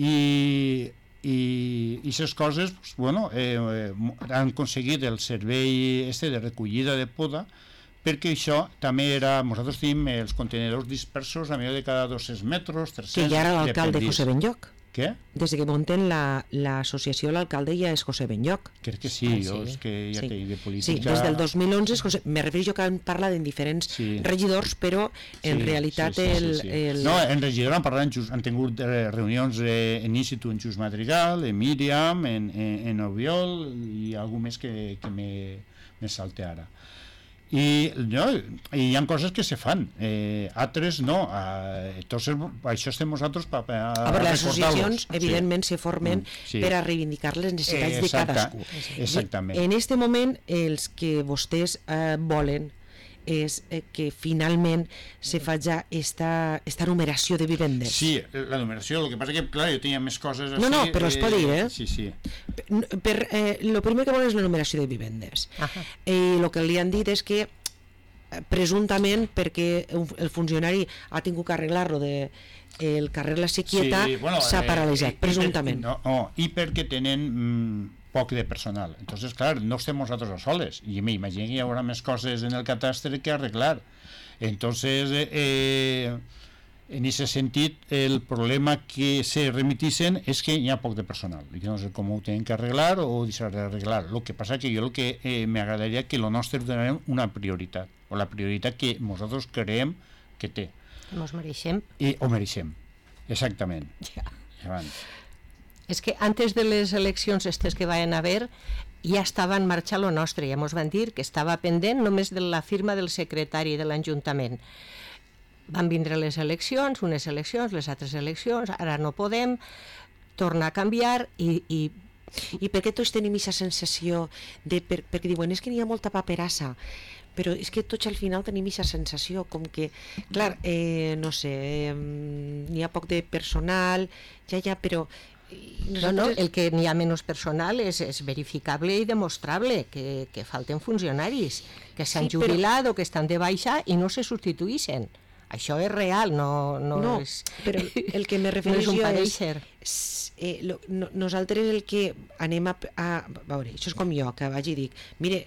i aquestes coses han aconseguit el servei de recollida de poda, perquè això també era, nosaltres tenim els contenedors dispersos a millor de cada 200 metres, 300, que ja era l'alcalde José Benlloc. Què? Des que munten l'associació, l'alcalde ja és José Benlloch. Crec que sí, jo és que ja que de política... Sí, des del 2011 és José... Me refereixo que han parlat en diferents regidors, però en realitat No, en regidor han tingut reunions en Institut en Just Madrigal, en Míriam, en Obiol i algú més que me salte ara. I hi ha coses que se fan, altres no, entonces això estem nosaltres per recordar-los. Les associacions evidentment se formen per a reivindicar les necessitats de cadascú. Exactament. En aquest moment els que vostès volen és que finalment se faci esta numeració de vivendes. Sí, la numeració, el que passa que, clar, jo tenia més coses així... No, però es pot dir, Sí. El primer que volen és la numeració de vivendes. I el que li han dit és que presumptament perquè el funcionari ha tingut que arreglar-lo el carrer La Sequieta s'ha paralitzat, presumptament. I perquè tenen poc de personal. Entonces, clar, no estem nosaltres a soles. I m'imagino que hi haurà més coses en el catastre que arreglar. Entonces, en aquest sentit, el problema que se remitixen és que hi ha poc de personal. I que no sé com ho tenen que arreglar o deixar d'arreglar. El que passa que jo el que m'agradaria que el nostre donem una prioritat, o la prioritat que nosaltres creiem que té. Nos mereixem. Ho mereixem, exactament. És que antes de les eleccions estes que van haver ja estava en marxa lo nostre, ja mos van dir que estava pendent només de la firma del secretari de l'Ajuntament. Van vindre les eleccions, unes eleccions, les altres eleccions, ara no podem, tornar a canviar i per què tots tenim aquesta sensació perquè diuen, és que n'hi ha molta paperassa, però és que tots al final tenim aquesta sensació com que, clar, no sé, n'hi ha poc de personal, però no, el que n'hi ha menys personal és verificable i demostrable, que falten funcionaris, que s'han jubilat o que estan de baixa i no se substituïxen. Això és real, no és... però el que me refereixo és... Nosaltres el que anem a veure, això és com jo, que vaig i dic, mire,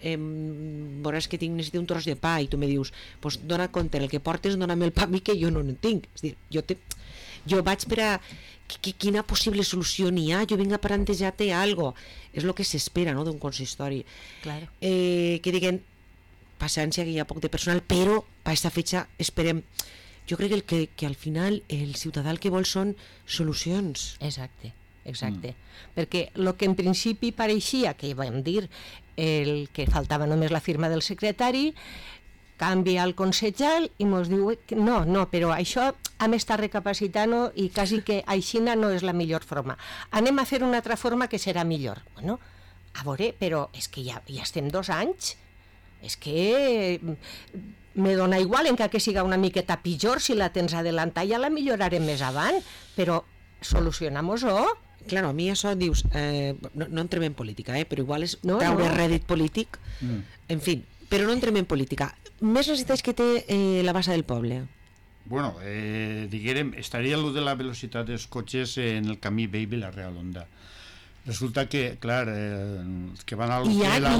veuràs que necessito un tros de pa, i tu me dius, doncs dona compte, el que portes dona'm el pa a mi que jo no en tinc. És dir, jo vaig per a... Quina possible solució n'hi ha? Jo vinc a plantejar-te alguna cosa. És el que s'espera, no?, d'un consistori. Claro. Que diguen, paciència, que hi ha poc de personal, però per aquesta fetge esperem. Jo crec que al final el ciutadà el que vol són solucions. Exacte. Perquè el que en principi pareixia, que vam dir, el que faltava només la firma del secretari, canvia el consellal i ens diu que no, però això hem estat recapacitant i quasi que aixina no és la millor forma. Anem a fer una altra forma que serà millor. Bueno, a veure, però és que ja estem 2 anys, és que me dona igual, encara que siga una miqueta pitjor, si la tens adelantada ja la millorarem més avant, però solucionam-ho. Claro, a mi això dius, no entrem en política, però igual és treure rèdit polític, en fi, però no entrem en política. Més necessitats que té la bassa del poble? Bueno, diguérem, estaria allò de la velocitat dels cotxes en el camí vell de la Real Onda. Resulta que, clar, els que van al... Hi ha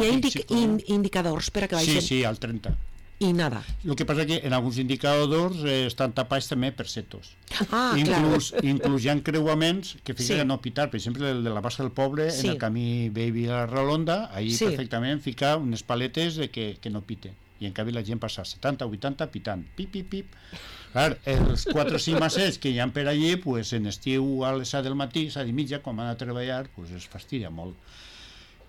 indicadors per a que baixen? Sí, al 30. I nada. El que passa que en alguns indicadors estan tapats també per setos. Inclús hi ha creuaments que fiquen no pitar, per exemple el de la bassa del poble, en el camí vell de la Real Onda, ahí perfectament ficar unes paletes que no piten. I en canvi la gent passa 70 o 80 pitant, pip, pip, pip. Clar, els 4 o 5 massets que hi ha per allí, pues, en estiu a les 7 del matí, 7 i mitja, quan van a treballar, pues, es fastidia molt.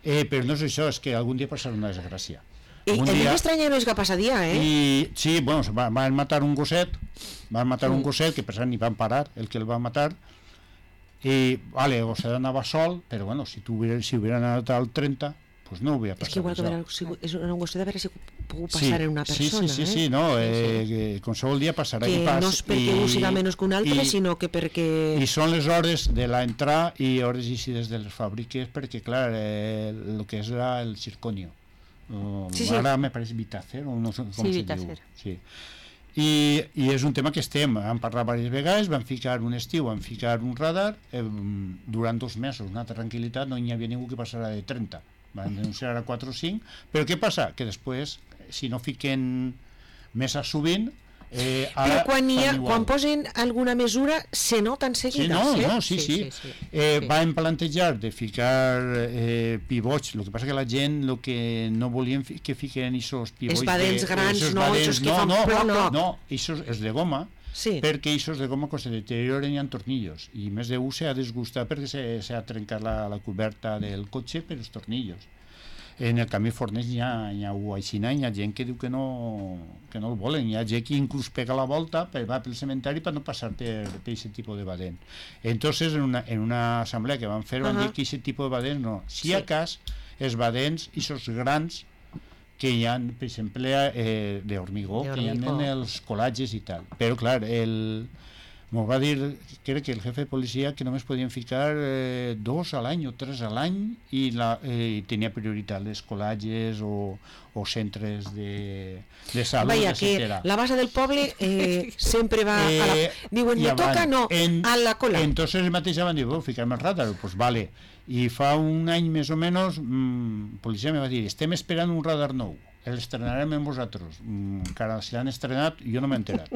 Però no és això, és que algun dia passarà una desgràcia. El dia estrany no és que passa dia, Sí, bueno, van matar un gosset, que per cert ni van parar el que el va matar, i el gosset anava sol, però bueno, si hubiera anat al 30, pues no hauria passat. És que igual és un gosset a veure si pot passar en una persona. Sí, no, qualsevol dia passarà. Que no és perquè un siga menys que un altre, sinó que perquè... I són les hores de l'entrada i hores eixides de les fàbriques, perquè clar, el que és el circonio. Ara me pareix Vitacer, o no sé com se diu. Sí. I és un tema que hem parlat diverses vegades, vam ficar un estiu, vam ficar un radar, durant 2 mesos, una tranquil·litat, no hi havia ningú que passara de 30. Van denunciar a 4 o 5, però què passa? Que després, si no fiquen més sovint, Però quan posen alguna mesura se nota en seguida. Sí. Van plantejar de ficar pivots, el que passa que la gent el que no volien que fiquen aquests pivots... Els badens grans, els que fan ploc. No, els de goma, perquè aquests de goma quan se deterioren hi ha tornillos, i més d'un s'ha desgustat perquè s'ha trencat la coberta del cotxe per els tornillos. En el camí Fornells hi ha aixina, hi ha gent que diu que no el volen, hi ha gent que inclús pega la volta, va pel cementari per no passar per aquest tipus de badent. Entonces, en una assemblea que van fer, van dir que aquest tipus de badent no. Si a cas, els badents, aquests grans, que hi ha, per exemple, d'hormigó, que hi ha en els colatges i tal. Però, clar, m'ho va dir, crec que el jefe de policia, que només podien ficar 2 a l'any o 3 a l'any i tenia prioritat les colatges o centres de salut, Vaya, que la base del poble sempre va a la... Diuen, me toca, no, a la cola. Entonces el mateix van dir, ficar-me el radar, pues vale. I fa un any més o menys, policia me va dir, estem esperant un radar nou, l'estrenarem amb vosaltres. Encara si l'han estrenat, jo no m'he enterat.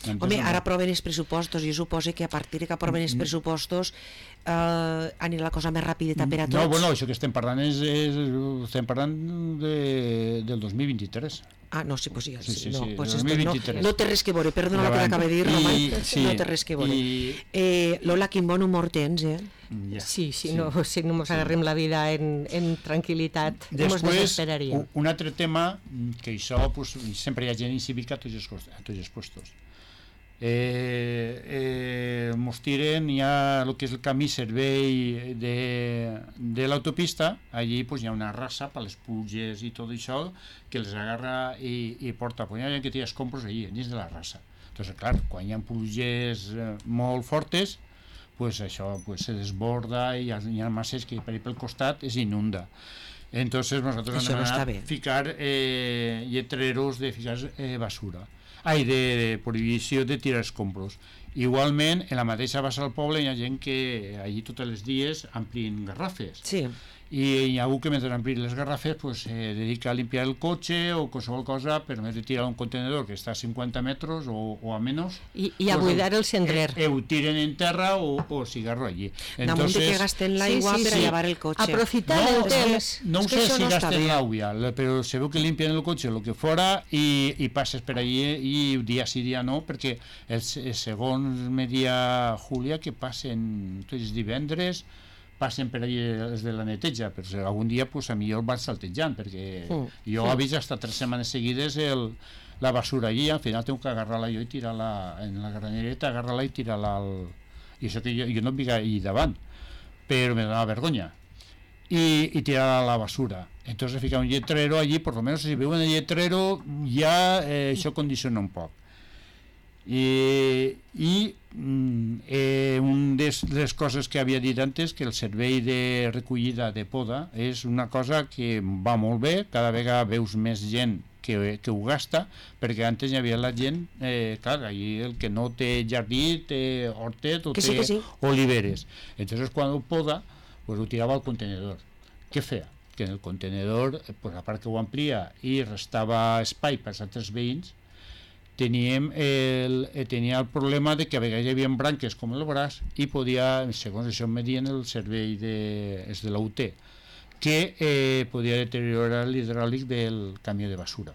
Home, ara aproven els pressupostos, jo suposo que a partir que aproven els pressupostos anirà la cosa més rapideta per a tots. No, bueno, això que estem parlant estem parlant del 2023. Ah, no, sí, pues sí, no, pues 2023. No té res que veure, perdona el que t'acaba de dir, Roman, no té res que veure. Lola, quin bon humor tens, Sí, no, si no ens agarrem la vida en tranquil·litat, ens desesperaríem. Un altre tema, que això sempre hi ha gent incívica a tots els puestos. Mos tiren, hi ha el que és el camí servei de l'autopista, allí hi ha una raça per les pluges i tot això que els agarra i porta, hi ha gent que tira escombros allí, dins de la raça. Entonces, clar, quan hi ha pluges molt fortes, això se desborda i hi ha masses que per ahí pel costat es inunda. Entonces nosotros hem anat a ficar lletreros de ficar basura. De prohibició de tirar escombros. Igualment, en la mateixa base del poble hi ha gent que allí tots els dies amplien garrafes. Sí. I hi ha algú que mentre amplien les garrafes se dedica a limpiar el cotxe o qualsevol cosa per més de tirar un contenedor que està a 50 metres o a menys. I a buidar el cendrer. Ho tiren en terra o cigarro allí. Damunt de que gasten l'aigua per a llevar el cotxe. Aprofitar el temps. No sé si gasten l'aigua, però se veu que limpien el cotxe el que fora i passes per allí i dia sí dia no, perquè segons me dia Júlia que passen tots els divendres passen per allà els de la neteja, però algun dia a millor van saltejant, perquè jo he vist hasta 3 setmanes seguides la basura allí, al final tengo que agarrar-la jo i tirar-la en la granereta, agarrar-la i tirar-la i això que jo no vinc allà davant, però me dona vergonya i tirar a la basura. Entonces ficar un lletrero allí, por lo menos si veo un lletrero ja això condiciona un poc. Una de les coses que havia dit antes, que el servei de recollida de poda és una cosa que va molt bé, cada vegada veus més gent que ho gasta, perquè antes hi havia la gent, clar, allí el que no té jardí té hortet o té oliveres. Entonces quan ho poda, ho tirava al contenedor. Què feia? Que en el contenedor, a part que ho amplia i restava espai per als altres veïns, tenia el problema de que a vegades hi havia branques com el braç i podia, segons això em dient el servei de la UT, que podia deteriorar l'hidràulic del camió de basura.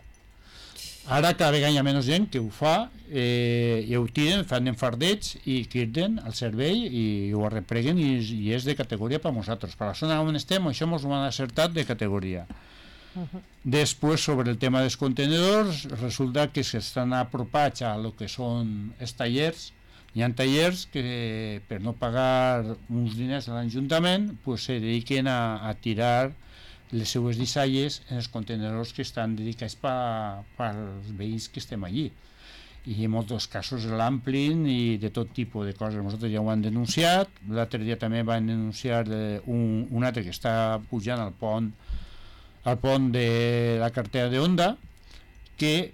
Ara cada vegada hi ha menys gent que ho fa i ho tiren, fan enfardets i criden al servei i ho arrepleguen i és de categoria per nosaltres. Per la zona on estem això ens ho han acertat de categoria. Després, sobre el tema dels contenedors, resulta que s'estan apropats a lo que són els tallers. Hi ha tallers que per no pagar uns diners a l'Ajuntament se dediquen a tirar les seues dissalles en els contenedors que estan dedicats pels veïns que estem allí. I en molts casos l'amplin i de tot tipus de coses. Nosaltres ja ho han denunciat. L'altre dia també van denunciar un altre que està pujant al pont de la carretera de Honda,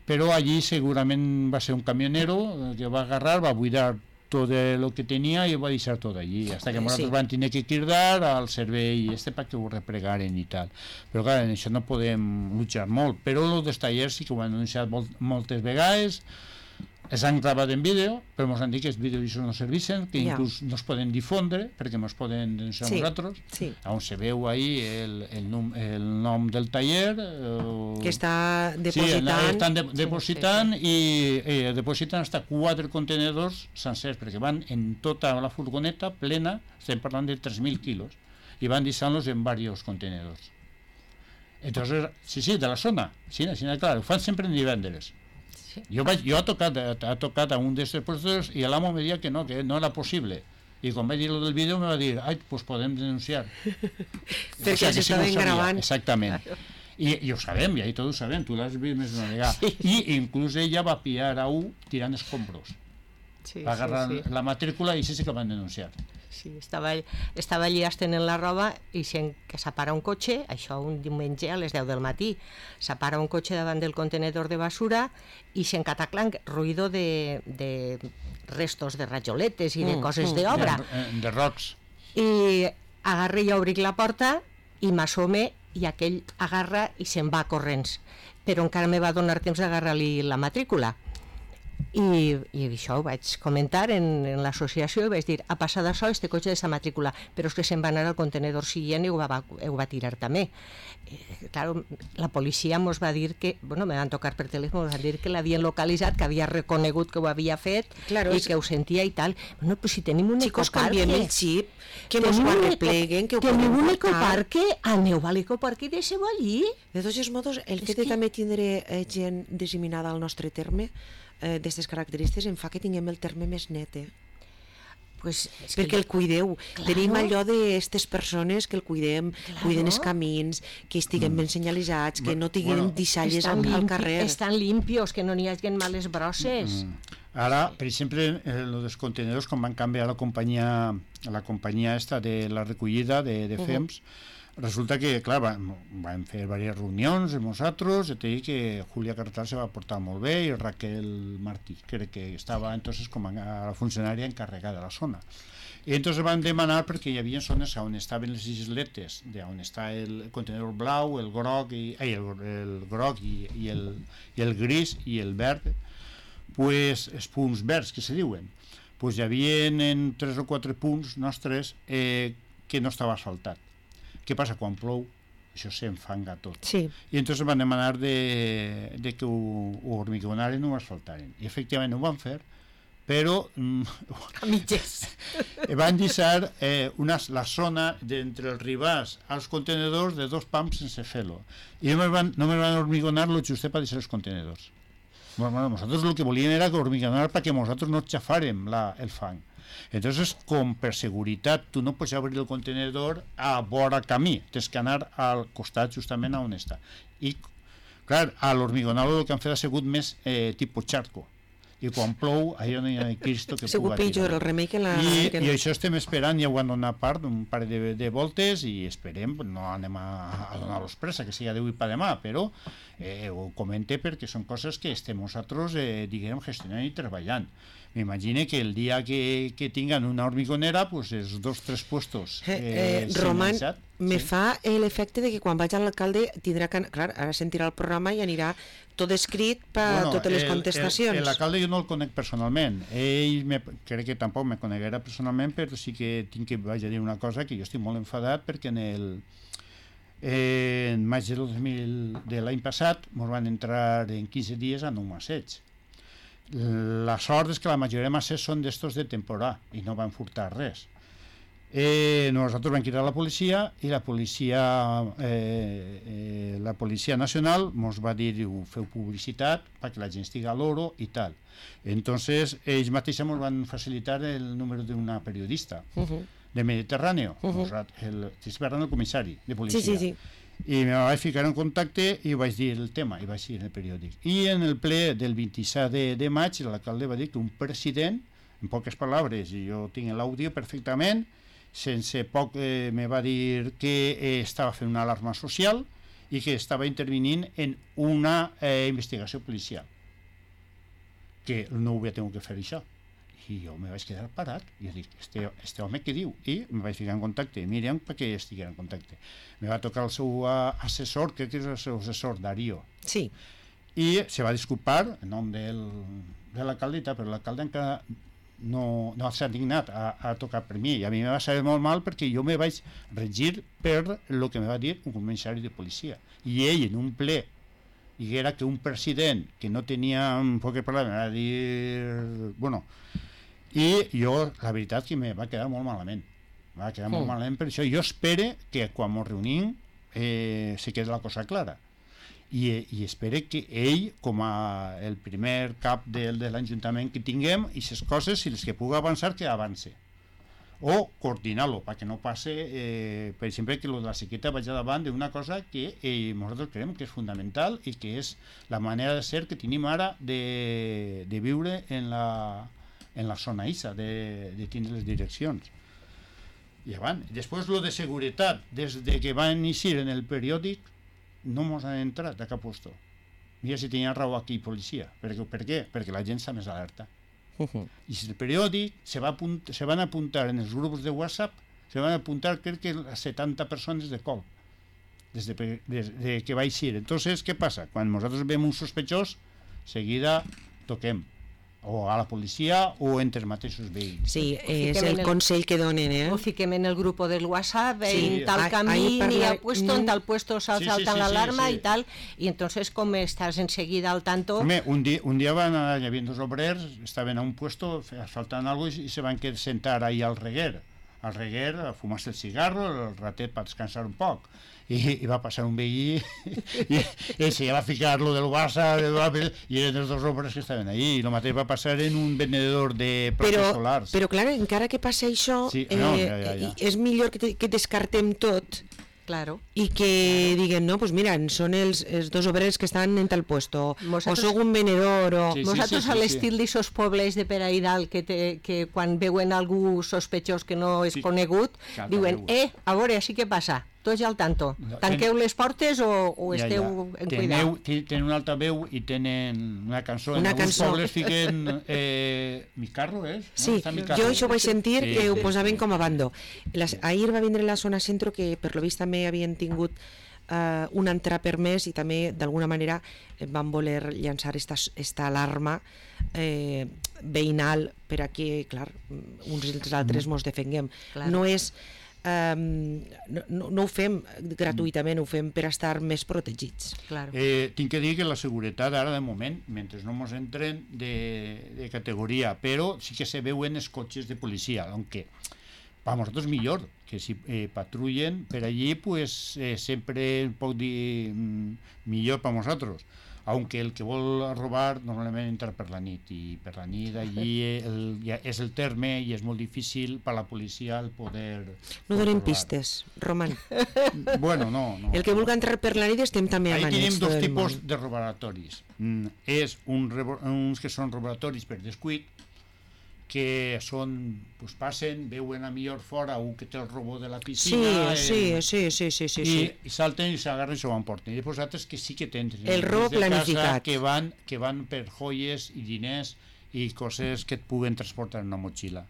però allí segurament va ser un camionero que va agarrar, va buidar tot el que tenia i ho va deixar tot allí, hasta que nosaltres van tenir que cridar al servei perquè ho replegaren i tal. Però clar, en això no podem luchar molt, però els dels tallers sí que ho han anunciat moltes vegades, es han gravat en vídeo, però ens han dit que els vídeos no serveixen, que inclús no es poden difondre, perquè ens poden denunciar nosaltres, on se veu ahí el nom del taller, que està depositant. Sí, estan depositant i depositen hasta 4 contenedors sencers, perquè van en tota la furgoneta plena, estem parlant de 3.000 quilos, i van deixant-los en diversos contenedors. Entonces, sí, de la zona, sí, claro, ho fan sempre en divendres. Jo he tocat a un d'aquests puestos i l'amo me deia que no era possible. I quan vaig dir el del vídeo me va dir, pues podem denunciar. Perquè s'estaven gravant. Exactament. I ho sabem, i ahí tots ho sabem, tu l'has vist més d'una vegada. I inclús ella va pillar a un tirant escombros. Va agarrar la matrícula i sí que el van denunciar. Sí, estava allí estenent la roba i que s'apara un cotxe, això un diumenge a les 10 del matí, s'apara un cotxe davant del contenedor de basura i se'n cataclan ruïdo de restos de rajoletes i de coses d'obra. De rocs. I agarra i obric la porta i m'assome i aquell agarra i se'n va corrents. Però encara me va donar temps d'agarrar-li la matrícula. I això ho vaig comentar en l'associació i vaig dir, ha passat això, este cotxe d'esta matrícula, però és que se'n va anar al contenedor siguient i ho va tirar també. Claro, la policia ens va dir que, me van tocar per telèfon, ens van dir que l'havien localitzat, que havia reconegut que ho havia fet i que ho sentia i tal. Bueno, pues si tenim un ecoparque... Chicos, canviem el xip, que nos ho arrepleguen, que ho podem portar. Tenim un ecoparque, aneu a l'ecoparque i deixeu allí. De tots modos, el fet de també tindre gent disseminada al nostre terme, d'aquestes característiques em fa que tinguem el terme més net, pues perquè el cuideu. Tenim allò d'aquestes persones que el cuidem, cuiden els camins, que estiguem ben senyalitzats, que no tinguem deixalles al carrer. Estan limpios, que no n'hi hagi males brosses. Ara, per exemple, els contenedors, quan van canviar la companyia esta de la recollida de FEMS, resulta que, clar, vam fer diverses reunions amb nosaltres, et dic que Julia Carretal se va portar molt bé i Raquel Martí, crec que estava entonces com a la funcionària encarregada de la zona. I entonces van demanar, perquè hi havia zones on estaven les isletes, on està el contenedor blau, el groc i el gris i el verd, pues els punts verds que se diuen, pues hi havia en 3 o 4 punts nostres que no estava asfaltat. Què passa? Quan plou, això s'enfanga tot. Sí. I entonces van demanar de que ho hormigonaren o ho asfaltaren. I efectivament ho van fer, però a mitges. Van deixar la zona d'entre els ribàs als contenedors de 2 pams sense fer-lo. I no me van hormigonar lo justet per deixar els contenedors. Bueno, nosaltres el que volíem era hormigonar perquè nosaltres no xafàrem el fang. Entonces, com per seguretat tu no pots obrir el contenedor a vora camí, tens que anar al costat justament on està. I, clar, a l'hormigonado el que han fet ha sigut més tipus charco. I quan plou, allò no hi ha Cristo que puga tirar. Pitjor el remei que la... I això estem esperant, ja ho han donat part, un parell de voltes, i esperem, no anem a donar-los pressa, que sigui d'avui per demà, però ho comente perquè són coses que estem nosaltres, diguem, gestionant i treballant. M'imagine que el dia que tinguin una hormigonera, pues els 2 o 3 puestos Roman, me fa l'efecte de que quan vaig a l'alcalde tindrà que... Clar, ara sentirà el programa i anirà tot escrit per totes les contestacions. L'alcalde jo no el conec personalment. Ell crec que tampoc me coneguera personalment, però sí que tinc que vaig a dir una cosa, que jo estic molt enfadat perquè en maig de l'any passat ens van entrar en 15 dies en un masseig. La sort és que la majoria de massers són d'estos de temporada i no van furtar res. Nosaltres vam cridar la policia i la policia nacional ens va dir, feu publicitat perquè la gent estigui a l'oro i tal. Entonces ells mateixos ens van facilitar el número d'una periodista del Mediterráneo, el comissari de policia. Sí. I me vaig ficar en contacte i vaig dir el tema, i vaig dir en el periòdic. I en el ple del 27 de maig l'alcalde va dir que un president, en poques paraules, i jo tinc l'àudio perfectament, sense poc me va dir que estava fent una alarma social i que estava intervenint en una investigació policial, que no ho havia tingut que fer això. I jo me vaig quedar parat i dic, este home què diu? I me vaig ficar en contacte amb Míriam perquè estigués en contacte. Me va tocar el seu assessor, crec que és el seu assessor, Darío. Sí. i se va disculpar en nom de l'alcaldita, però l'alcalde encara no s'ha dignat a tocar per mi, i a mi me va saber molt mal perquè jo me vaig regir per el que me va dir un comissari de policia, i ell en un ple diguera que un president que no tenia un poc de problema va dir, bueno, i jo la veritat que me va quedar molt malament, per això jo espero que quan ens reunim se quedi la cosa clara, i espero que ell, com el primer cap de l'Ajuntament que tinguem, i les coses, si les que pugui avançar, que avance, o coordinar-lo, perquè no passe, per exemple, que la sequeta vagi davant d'una cosa que nosaltres creiem que és fundamental i que és la manera de ser que tenim ara de viure en la zona ISA, de tindre les direccions. I abans, després lo de seguretat, des que va iniciar en el periòdic, no ens han entrat a cap lloc. Mira si tenia raó aquí policia. Per què? Perquè la gent està més alerta. I si el periòdic se van apuntar en els grups de WhatsApp, se van apuntar crec que 70 persones de cop des que va eixir. Entonces, què passa? Quan nosaltres veiem un sospechós, seguida toquem o a la policia o entre els mateixos veïns. Sí, és el consell que donen, O fiquem en el grup del WhatsApp, en tal camí, en tal puesto saltan la alarma y tal, y entonces como estás enseguida al tanto... Home, un dia van hi havia dos obrers, estaven a un puesto asfaltant algo i se van sentar ahí al reguer, a fumar-se el cigarro, el ratet per descansar un poc. I va passar un veí i se va ficar lo del Barça i eren els dos obres que estaven allí, i el mateix va passar en un venedor de plaques solars. Però clar, encara que passi això, és millor que descartem tot, claro, i que diguem, no, pues mira, són els dos obrers que estan en tal puesto, o sóc un venedor, o... Vosaltres a l'estil d'aixòs pobles de per ahí dalt que quan veuen algú sospechós que no és conegut, diuen, a veure, així què passa? Tots al tanto. Tanqueu les portes o esteu en cuidado? Tenen una altra veu i tenen una cançó. En alguns pobles fiquen Mi carro, Sí, jo això vaig sentir que ho posaven com a bando. Ahir va vindre la zona centro que per lo vist també havien tingut un entrar per mes i també d'alguna manera van voler llançar esta alarma veïnal per a que, clar, uns i els altres mos defenguem. No és... no ho fem gratuïtament, ho fem per estar més protegits. Tinc que dir que la seguretat ara de moment, mentre no ens entren de categoria, però sí que se veuen els cotxes de policia, aunque per nosaltres millor, que si patrullen per allí, pues sempre puc dir millor per nosaltres. Aunque el que vol robar normalment entra per la nit, i per la nit allí és el terme i és molt difícil per la policia el poder... No donem pistes, Roman. Bueno, no. El que vulgui entrar per la nit estem també amanits. Ahí tenim dos tipus de robaratoris. És uns que són robaratoris per descuit, que són, pues passen, veuen a millor fora un que té el robot de la piscina i salten i s'agarren i s'ho emporten, i després altres que sí que tenen el robot planificat que van per joies i diners i coses que et puguen transportar en una motxilla.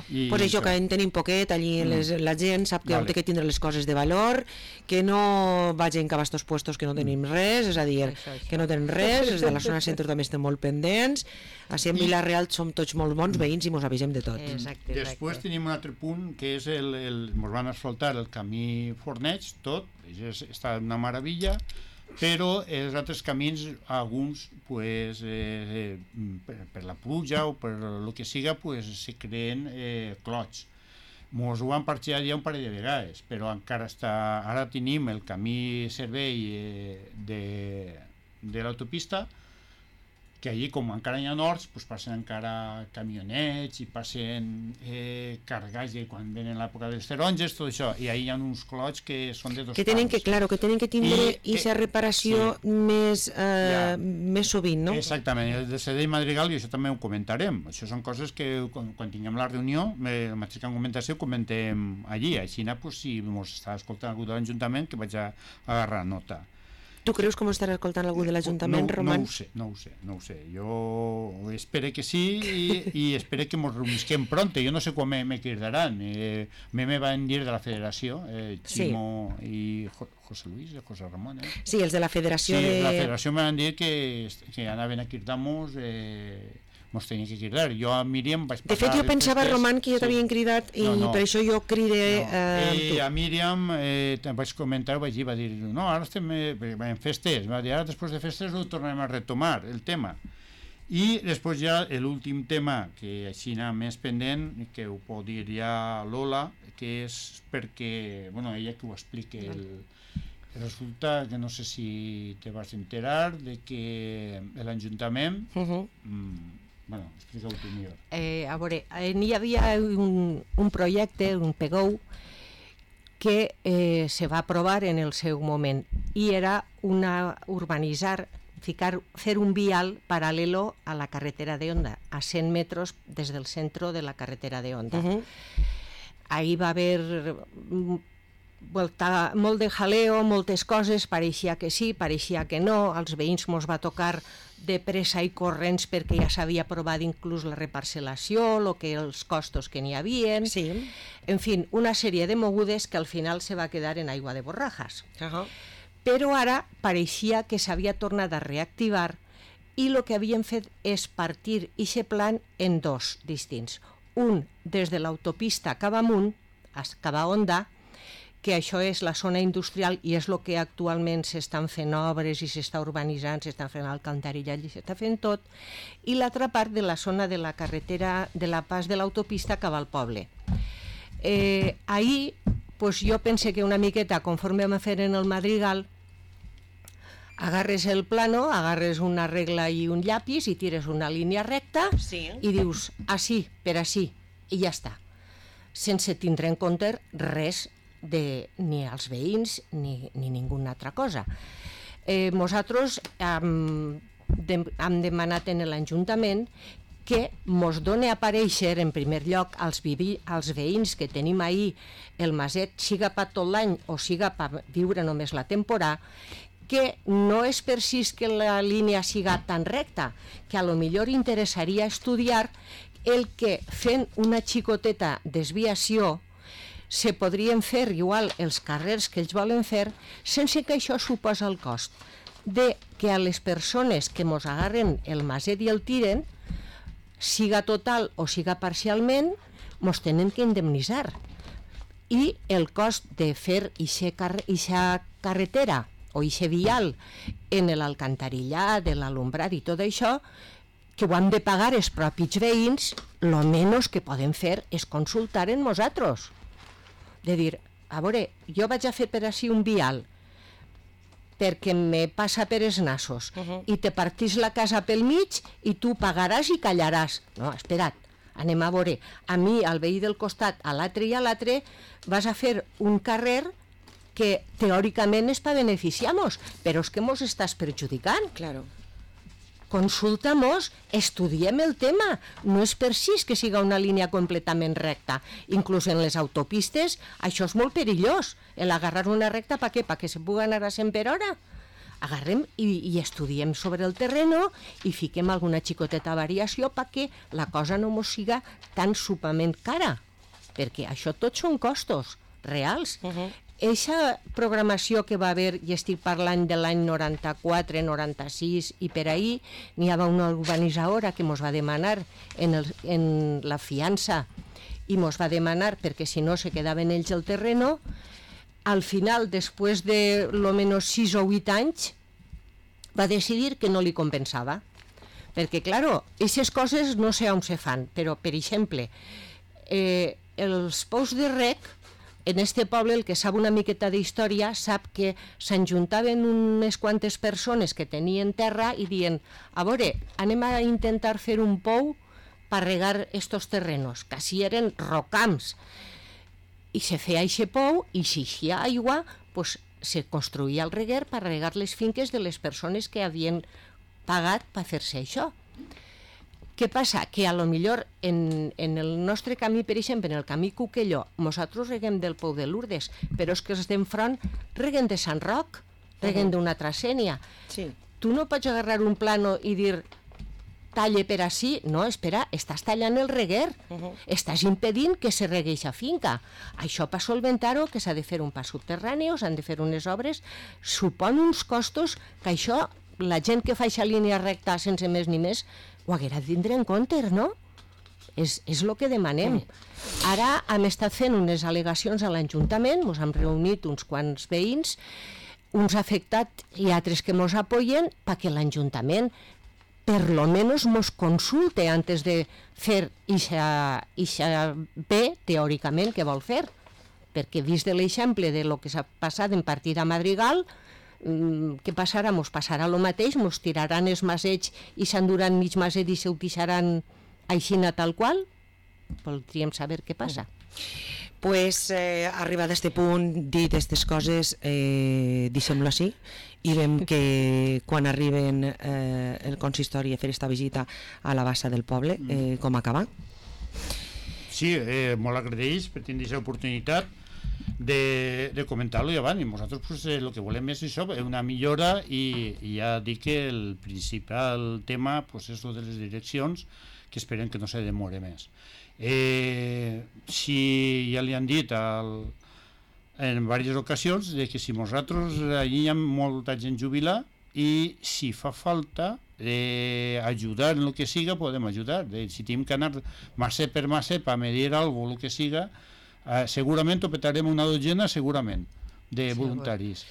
Pues això, que en tenim poquet, allí la gent sap que té que tindre les coses de valor, que no vagin cap a estos puestos que no tenim res, és a dir, que no tenen res, els de la zona centre també estem molt pendents, així en Vila-real som tots molt bons veïns i mos avisem de tot. Després tenim un altre punt, que és mos van asfaltar el camí Forneig, tot, està una meravella, però els altres camins, alguns, pues, per la pluja o per el que siga, pues, se creen clots. Mos ho han parxat ja un parell de vegades, però encara està... Ara tenim el camí servei de l'autopista, que allí, com encara hi ha horts, pues passen encara camionets i passen carregatge quan venen l'època dels taronges, tot això, i ahí hi ha uns clots que són de dos que tenen que tindre aquesta reparació més sovint, no? Exactament, el de Sedell Madrigal, i això també ho comentarem, això són coses que quan tinguem la reunió, el mateix que han comentat, ho comentem allí, així, si ens està escoltant algú de l'Ajuntament, que vaig a agarrar nota. Tu creus que m'estarà escoltant algú de l'Ajuntament, Roman? No ho sé. Jo espero que sí i espero que ens reunisquem pronto. Jo no sé quan me cridaran. Me van dir de la federació, Ximo i José Luis, José Ramon. Sí, els de la federació. Sí, la federació me van dir que anaven a cridar-nos... mos tenien que cridar. Jo a Míriam vaig parlar... De fet, jo pensava, Roman, que jo t'havien cridat i per això jo cridé amb tu. A Míriam vaig comentar, vaig dir, va dir, no, ara estem en festes, va dir, ara després de festes ho tornarem a retomar, el tema. I després ja l'últim tema, que així anava més pendent, que ho pot dir ja Lola, que és perquè, bueno, ella que ho expliqui, resulta que no sé si te vas enterar de que l'Ajuntament... Bueno, explica-ho tu millor. A veure, n'hi havia un projecte, un PGOU, que se va aprovar en el seu moment i era urbanitzar, fer un vial paral·lelo a la carretera de Onda, a 100 metres des del centre de la carretera de Onda. Ahí va haver molt de jaleo, moltes coses, pareixia que sí, pareixia que no, als veïns mos va tocar de pressa i corrents perquè ja s'havia aprovat inclús la reparcel·lació, els costos que n'hi havia, en fi, una sèrie de mogudes que al final se va quedar en aigua de borrajas. Però ara pareixia que s'havia tornat a reactivar i el que havien fet és partir aquest plan en dos distints. Un des de l'autopista cap amunt, cap a Onda, que això és la zona industrial i és el que actualment s'estan fent obres i s'està urbanitzant, s'estan fent alcantarillat i s'està fent tot, i l'altra part de la zona de la carretera, de la pas de l'autopista cap al poble. Ahir, jo pense que una miqueta, conforme vam fer en el Madrigal, agarres el plano, agarres una regla i un llapis i tires una línia recta i dius, així, per així, i ja està. Sense tindre en compte res ni als veïns ni ninguna altra cosa. Nosaltres hem demanat en l'Ajuntament que mos doni a aparèixer en primer lloc als veïns que tenim ahir el maset, siga per tot l'any o siga per viure només la temporada, que no és precís que la línia siga tan recta, que a lo millor interessaria estudiar el que fent una xicoteta desviació se podrien fer igual els carrers que ells volen fer sense que això suposa el cost de que a les persones que mos agarren el maset i el tiren, siga total o siga parcialment, mos tenen que indemnitzar. I el cost de fer ixa carretera o ixe vial en l'alcantarillat, de l'alumbrat i tot això, que ho han de pagar els propis veïns, lo menys que podem fer és consultar en nosaltres. De dir, a veure, jo vaig a fer per així un vial perquè me passa per els nassos i te partís la casa pel mig i tu pagaràs i callaràs. No, espera't, anem a veure. A mi, al veí del costat, a l'altre i a l'altre, vas a fer un carrer que teòricament és per beneficiar-nos, però és que mos estàs perjudicant. Claro. Consulta-mos, estudiem el tema. No és precís que siga una línia completament recta. Inclús en les autopistes això és molt perillós. Agarrar una recta per què? Perquè se pugui anar a 100 per hora. Agarrem i estudiem sobre el terreno i fiquem alguna xicoteta variació perquè la cosa no mos siga tan supament cara. Perquè això tot són costos reals. Eixa programació que va haver, i estic parlant de l'any 94, 96 i per ahir, n'hi havia una urbanitzadora que mos va demanar en la fiança i mos va demanar perquè si no se quedaven ells el terreno. Al final, després de lo menos 6 o 8 anys, va decidir que no li compensava. Perquè, claro, aquestes coses no sé on se fan, però, per exemple, els pous de rec, en este poble, el que sap una miqueta d'història, sap que s'enjuntaven unes quantes persones que tenien terra i diuen, a veure, anem a intentar fer un pou per regar estos terrenos, que així eren rocams. I se feia aquest pou i si hi ha aigua, pues, se construïa el reguer per regar les finques de les persones que havien pagat per fer-se això. Què passa? Que a lo millor en el nostre camí, per exemple, en el camí Cuquelló, nosaltres reguem del Pou de Lourdes, però és que els d'enfront reguen de Sant Roc reguen d'una altra sènia. Tu no pots agarrar un plano i dir talle per ací, no, espera, estàs tallant el reguer, estàs impedint que se regui a finca. Això per solventar-ho, que s'ha de fer un pas subterrani o s'han de fer unes obres, supon uns costos que això, la gent que fa aquesta línia recta sense més ni més, ho haguera de tindre en compte, no? És el que demanem. Ara hem estat fent unes al·legacions a l'Ajuntament, ens hem reunit uns quants veïns, uns afectats i altres que ens apoyen, perquè l'Ajuntament per lo menos nos consulte antes de fer ixa bé, teòricament, que vol fer. Perquè vist de l'exemple de lo que s'ha passat en partida a Madrigal, què passarà? Mos passarà el mateix, mos tiraran els masets i s'enduran mig maset i se utilizaran aixina tal qual? Voldríem saber què passa. Pues arribat a este punt, dit aquestes coses, deixem-lo així i veiem que quan arriben el consistori a fer esta visita a la bassa del poble, com acaba? Sí, molt agraïts per tenir aquesta oportunitat de comentar-lo i avant, i nosaltres pues, el que volem és això, una millora, i ja dic que el principal tema pues, és el de les direccions, que esperem que no se demore més. Si ja li han dit en diverses ocasions de que si nosaltres allí hi ha molta gent jubilada i si fa falta ajudar en el que siga podem ajudar, si tenim que anar macet per macet per medir alguna cosa, el que siga, segurament ho petarem una dotzena, segurament, de voluntaris.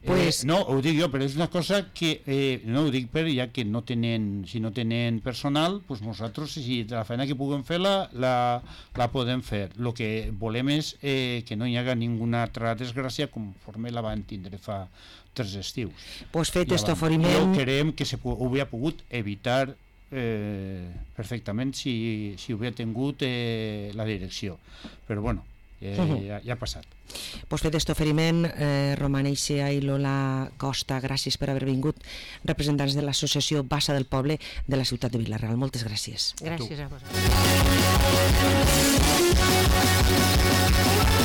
Pues, no, ho dic jo, però és una cosa que no ho dic per ja que no tenen, si no tenen personal, pues nosaltres si la feina que puguem fer la podem fer. El que volem és que no hi haga ninguna altra desgràcia conforme la van tindre fa 3 estius. Pues fet este oferiment... Jo creiem que ho hauria pogut evitar perfectament si hauria tingut la direcció, però bueno, ja ha passat. Pues fet aquest oferiment, Roman Eixea i Lola Costa, gràcies per haver vingut, representants de l'associació Bassa del Poble de la ciutat de Vila-real. Moltes gràcies. Gràcies a vosaltres.